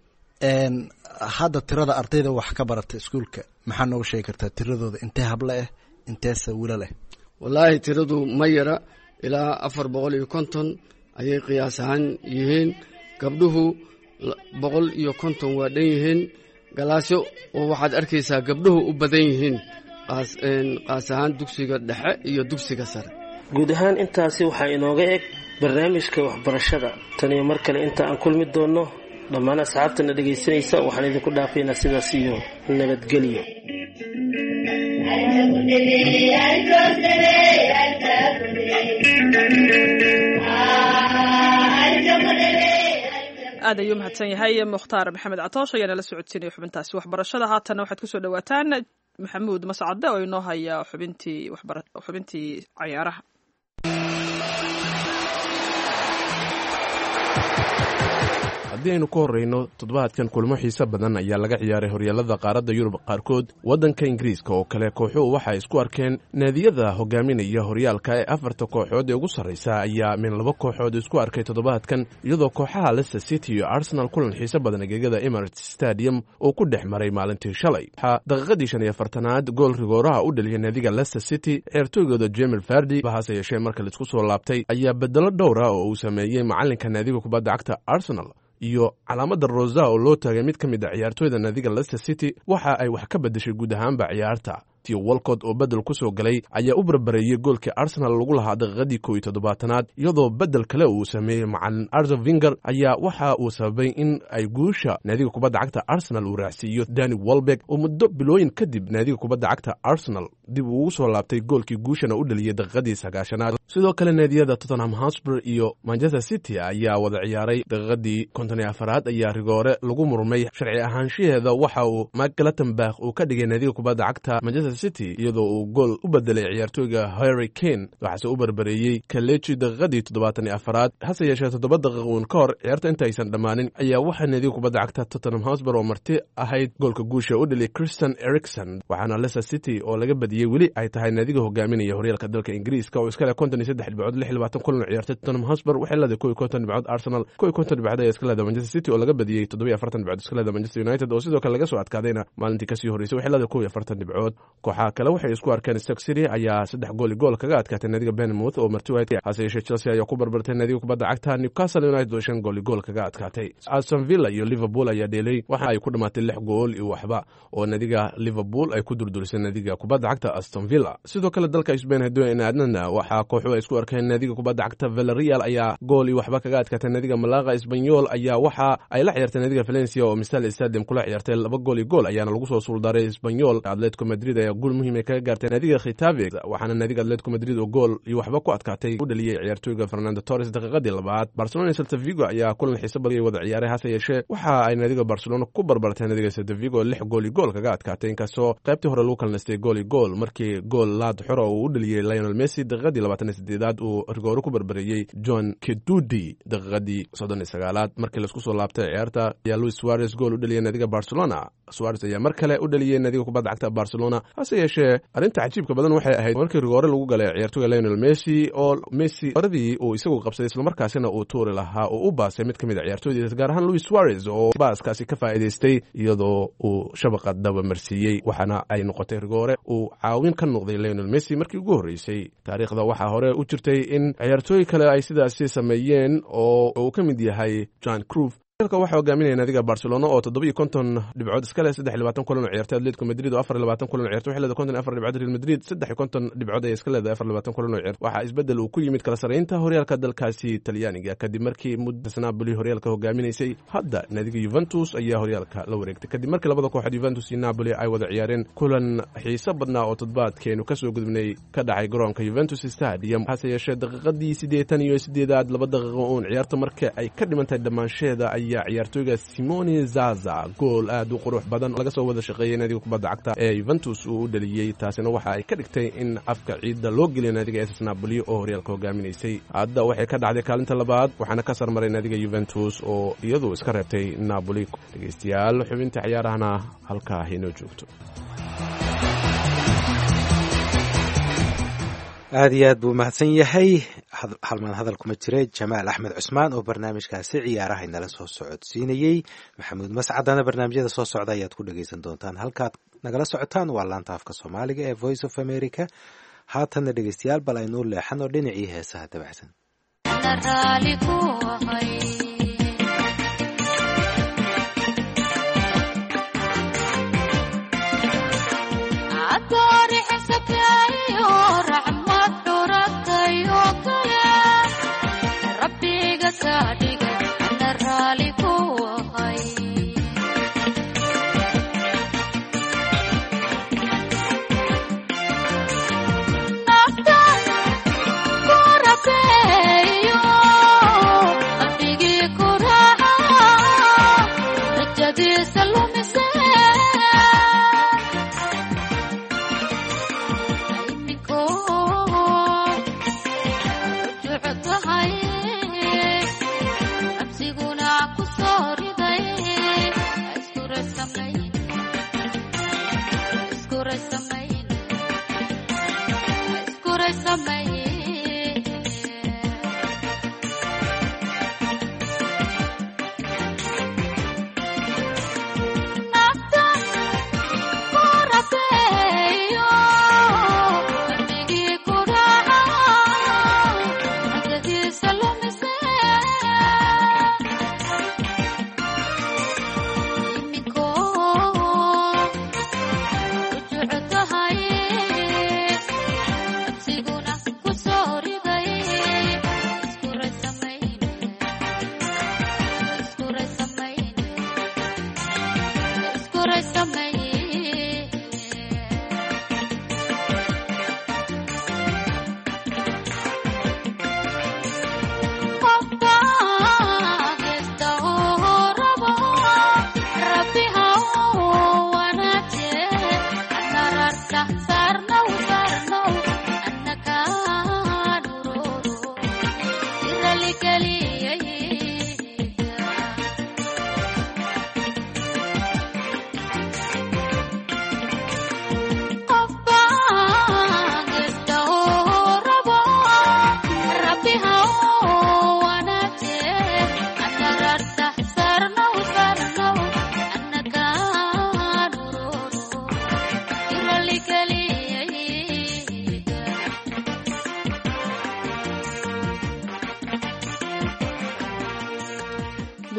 Hadda tirada ardayda wax ka barata iskuulka maxaa nooga sheegi kartaa tiradooda? Intee hable ah, inteese wiilal ah? Wallaahi tiradu ma yara, ilaa afar boqol iyo konton ayay qiyaas ahaan yihiin. Gabdhuhu boqol iyo konton waa dhan yihiin. Galaasyo oo waxaad arkaysaa gabdhuhu u badan yihiin, qaas ahaan dugsiga dhexe iyo dugsiga sare. Guud ahaan intaasi waxaa inooga eg barnaamijka waxbarashada. Tan iyo mar kale inta aan kulmi doonno, dhammaan asxaabtana dhegaysanaysa waxaan idinku dhaafaynaa sidaas iyo nabadgelyo. Aad ayuu mahadsan yahay Mukhtaar Maxamed Catoosh ayaa nala socodsiinaya xubintaasi waxbarashada. Haatanna waxaad kusoo dhawaataan Maxamuud Mascade oo inoo haya xubintii xubintii cayaaraha. Haddii aynu ka horreyno toddobaadkan, kulmo xiise badan ayaa laga ciyaaray horyaalada qaaradda Yurub qaarkood. Waddanka Ingiriiska oo kale, kooxuhu waxay isku arkeen naadiyada hogaaminaya horyaalka ee afarta kooxood ee ugu sarraysa ayaa min laba kooxood isku arkay toddobaadkan, iyadoo kooxaha Leicester City iyo Arsenal kulan xiise badan gegada Emirates Stadium uu ku dhex maray maalintii shalay. Waxaa daqiiqadii shan iyo afartanaad gool rigooraha u dhaliyay naadiga Leicester City ciyaartooygooda Jamie Vardy. Hase yeeshee marka laisku soo laabtay ayaa bedelo dhowra oo uu sameeyey macalinka naadiga kubadda cagta Arsenal iyo calaamadda rosa oo loo taagay mid ka mid a ciyaartooyda naadiga Leicester City waxa ay wax ka beddeshay guud ahaanba ciyaarta. Theo Walcott oo beddel ku soo galay ayaa u barbareeyey goolkii Arsenal lagu lahaa daqiiqadii kow iyo toddobaatanaad, iyadoo beddel kale uu sameeyey macalin Arsene Wenger ayaa waxa uu sababay in ay guusha naadiga kubadda cagta Arsenal uu raacsiiyo Danny Welbeck oo muddo bilooyin kadib naadiga kubadda cagta Arsenal dib ugu soo laabtay, goolkii guushana u dhaliyey daqiiqadii sagaashanaad. Sidoo kale naadiyada Tottenham Hotspur iyo Manchester City ayaa wada ciyaaray. Daqiiqadii konton iyo afaraad ayaa rigoore lagu murmay sharci ahaanshaheeda waxa uu Mike Clattenburg uu ka dhigay naadiga kubadda cagta Manchester City, iyadoo uu gool u bedelay ciyaartooyga Harry Kane, waxaase u barbareeyey Kelechi daqiiqadii toddobaatan iyo afaraad. Hase yeeshee toddoba daqiiq uun ka hor ciyaarta intaysan dhammaanin ayaa waxaa naadiga kubadda cagta Tottenham Hotspur oo marti ahayd goolka guusha u dhaliyay Christian Eriksen, waxaana Leicester City oo laga badiyey weli ay tahay naadiga hogaaminaya horyaalka dalka Ingiriiska oo iska leh konton iyo saddex dhibcood lix iyo labaatan kulan oo ciyaartay. Tottenham Hotspur waxay leedahay kow iyo konton dhibcood, Arsenal kow iyo konton dhibcood ayaa iska leedahay. Manchester City oo laga badiyey toddoba iyo afartan dhibcood iska leedahay. Manchester United oo sidoo kale laga soo adkaadayna maalintii kasii horreysay waxay leedahay kow iyo afartan dhibcood. Kooxaha kale waxay isku arkeen Stoke City ayaa saddex gool iyo gool kaga adkaatay naadiga Bournemouth oo marti waayay. Hase yeeshee Chelsea ayaa ku barbartay naadiga kubadda cagta Newcastle United oo shan gool iyo gool kaga adkaatay. Aston Villa iyo Liverpool ayaa dheelay, waxa ay ku dhamaatay lix gool iyo waxba oo naadiga Liverpool ay ku durdurisay naadiga kubadda cagta cagta Aston Villa. Sidoo kale dalka Spain haddii aynu aadnana, waxaa kooxuhu ay isku arkeen naadiga kubadda cagta Villarreal ayaa gool iyo waxba kaga adkaatay naadiga Malaga. Espanyol ayaa waxa ay la ciyaartay naadiga Valencia oo Misal Stadium kula ciyaartay, laba gool iyo gool ayaana lagu soo suuldaaray Espanyol. Atletico Madrid ayaa guul muhiim ay kaga gaartay naadiga Getafe, waxaana naadiga Atletico Madrid oo gool iyo waxba ku adkaatay u dhaliyey ciyaartooyga Fernando Torres daqiiqadii labaad. Barcelona iyo Celta Vigo ayaa kulan xiiso badan ay wada ciyaaray, hase yeeshee waxa ay naadiga Barcelona ku barbartay naadiga Celta Vigo, lix gool iyo gool kaga adkaatay, inkastoo qaybtii hore lagu kala nastay gool iyo gool markii gool laad xora uu u dhaliyey Lionel Messi daqiiqadii labaatan iyo sideedaad uu rigoore ku barbareeyey John Kedudi daqiiqadii soddon iyo sagaalaad. Markii laisku soo laabtay ciyaarta ayaa Luis Suarez gool u dhaliyey naadiga Barcelona. Suarez ayaa mar kale u dhaliyey naadiga kubadda cagta Barcelona, hase yeeshee arrinta cajiibka badan waxay ahayd markii rigoore lagu galay ciyaartoyga Lionel Messi oo Messi horadii uu isagu qabsaday islamarkaasina uu tuuri lahaa oo u baasay mid ka mid a ciyaartoydiisa, gaar ahaan Luis Suarez oo baaskaasi ka faa'iidaystay iyadoo uu shabaqa dabamarsiiyey, waxaana ay noqotay rigoore uu caawin ka noqday Lionel Messi markii ugu horreysay taariikhda. Waxaa hore u jirtay in ciyaartooy kale ay sidaasi sameeyeen oo uu ka mid yahay John Cruyff. Waxaa hogaaminaya naadiga Barcelona oo toddoba iyo konton dhibcood iska leh saddex iyo labaatan kulan oo ciyaartay. Atletico Madrid oo afar iyo labaatan kulan oo ciyaartay waxay leedahay konton iyo afar dhibcood. Real Madrid saddex iyo konton dhibcood ayay iska leedahay afar iyo labaatan kulan oo ciyaartay. Waxaa isbeddel uu ku yimid kala sarreynta horyaalka dalkaasi Talyaaniga kadib markii muddas Napoli horyaalka hogaaminaysay. Hadda naadiga Juventus ayaa horyaalka la wareegtay kadib markii labada kooxood Juventus iyo Napoli ay wada ciyaareen kulan xiiso badnaa oo toddobaadkeenu kasoo gudubnay ka dhacay garoonka Juventus Stadium. Hase yeeshee daqiiqadii siddeetan iyo siddeedaad, laba daqiiqo uun ciyaarta marka ay ka dhimantahay dhammaansheeda, ayaa ciyaartooyga Simone Zaza gool aad u qurux badan laga soo wada shaqeeyey naadiga kubadda cagta ee Juventus uu u dhaliyey. Taasina waxa ay ka dhigtay in afka ciidda loo geliyo naadiga S S Napoli oo horyaalka hogaaminaysay. Hadda waxay ka dhacday kaalinta labaad, waxaana ka sarmaray naadiga Juventus oo iyadu iska reebtay Napoli. Dhegeystayaal, xubinta ciyaarahana halkaa inoo joogto. Aad iyo aad buu mahadsan yahay, halmaan hadal kuma jira, Jamaal Axmed Cusmaan oo barnaamijkaasi ciyaaraha inala soo socodsiinayey. Maxamuud Mascadana barnaamijyada soo socda ayaad ku dhegeysan doontaan. Halkaad nagala socotaan waa laanta afka Soomaaliga ee Voice of America. Haatanna dhegeystayaal, bal aynuu leexano dhinacii heesaha dabacsan.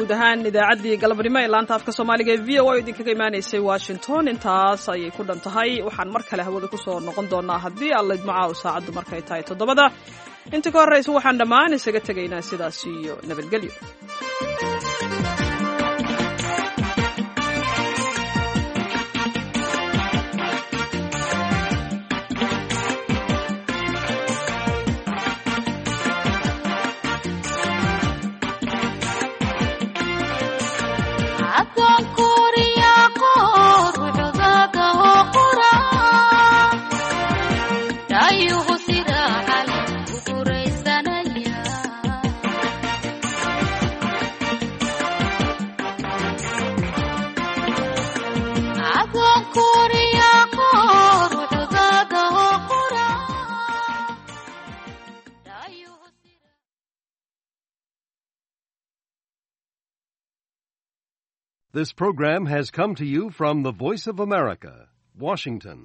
Guud ahaan idaacaddii galabnimo ee laanta afka soomaaliga ee V O A idinkaga imaanaysay Washington intaas ayay ku dhan tahay. Waxaan mar kale hawada ku soo noqon doonaa haddii alla idmacaa u saacaddu markay tahay toddobada. Inta ka horraysa waxaan dhammaan isaga tegaynaa sidaas iyo nabadgelyo. This program has come to you from the Voice of America, Washington.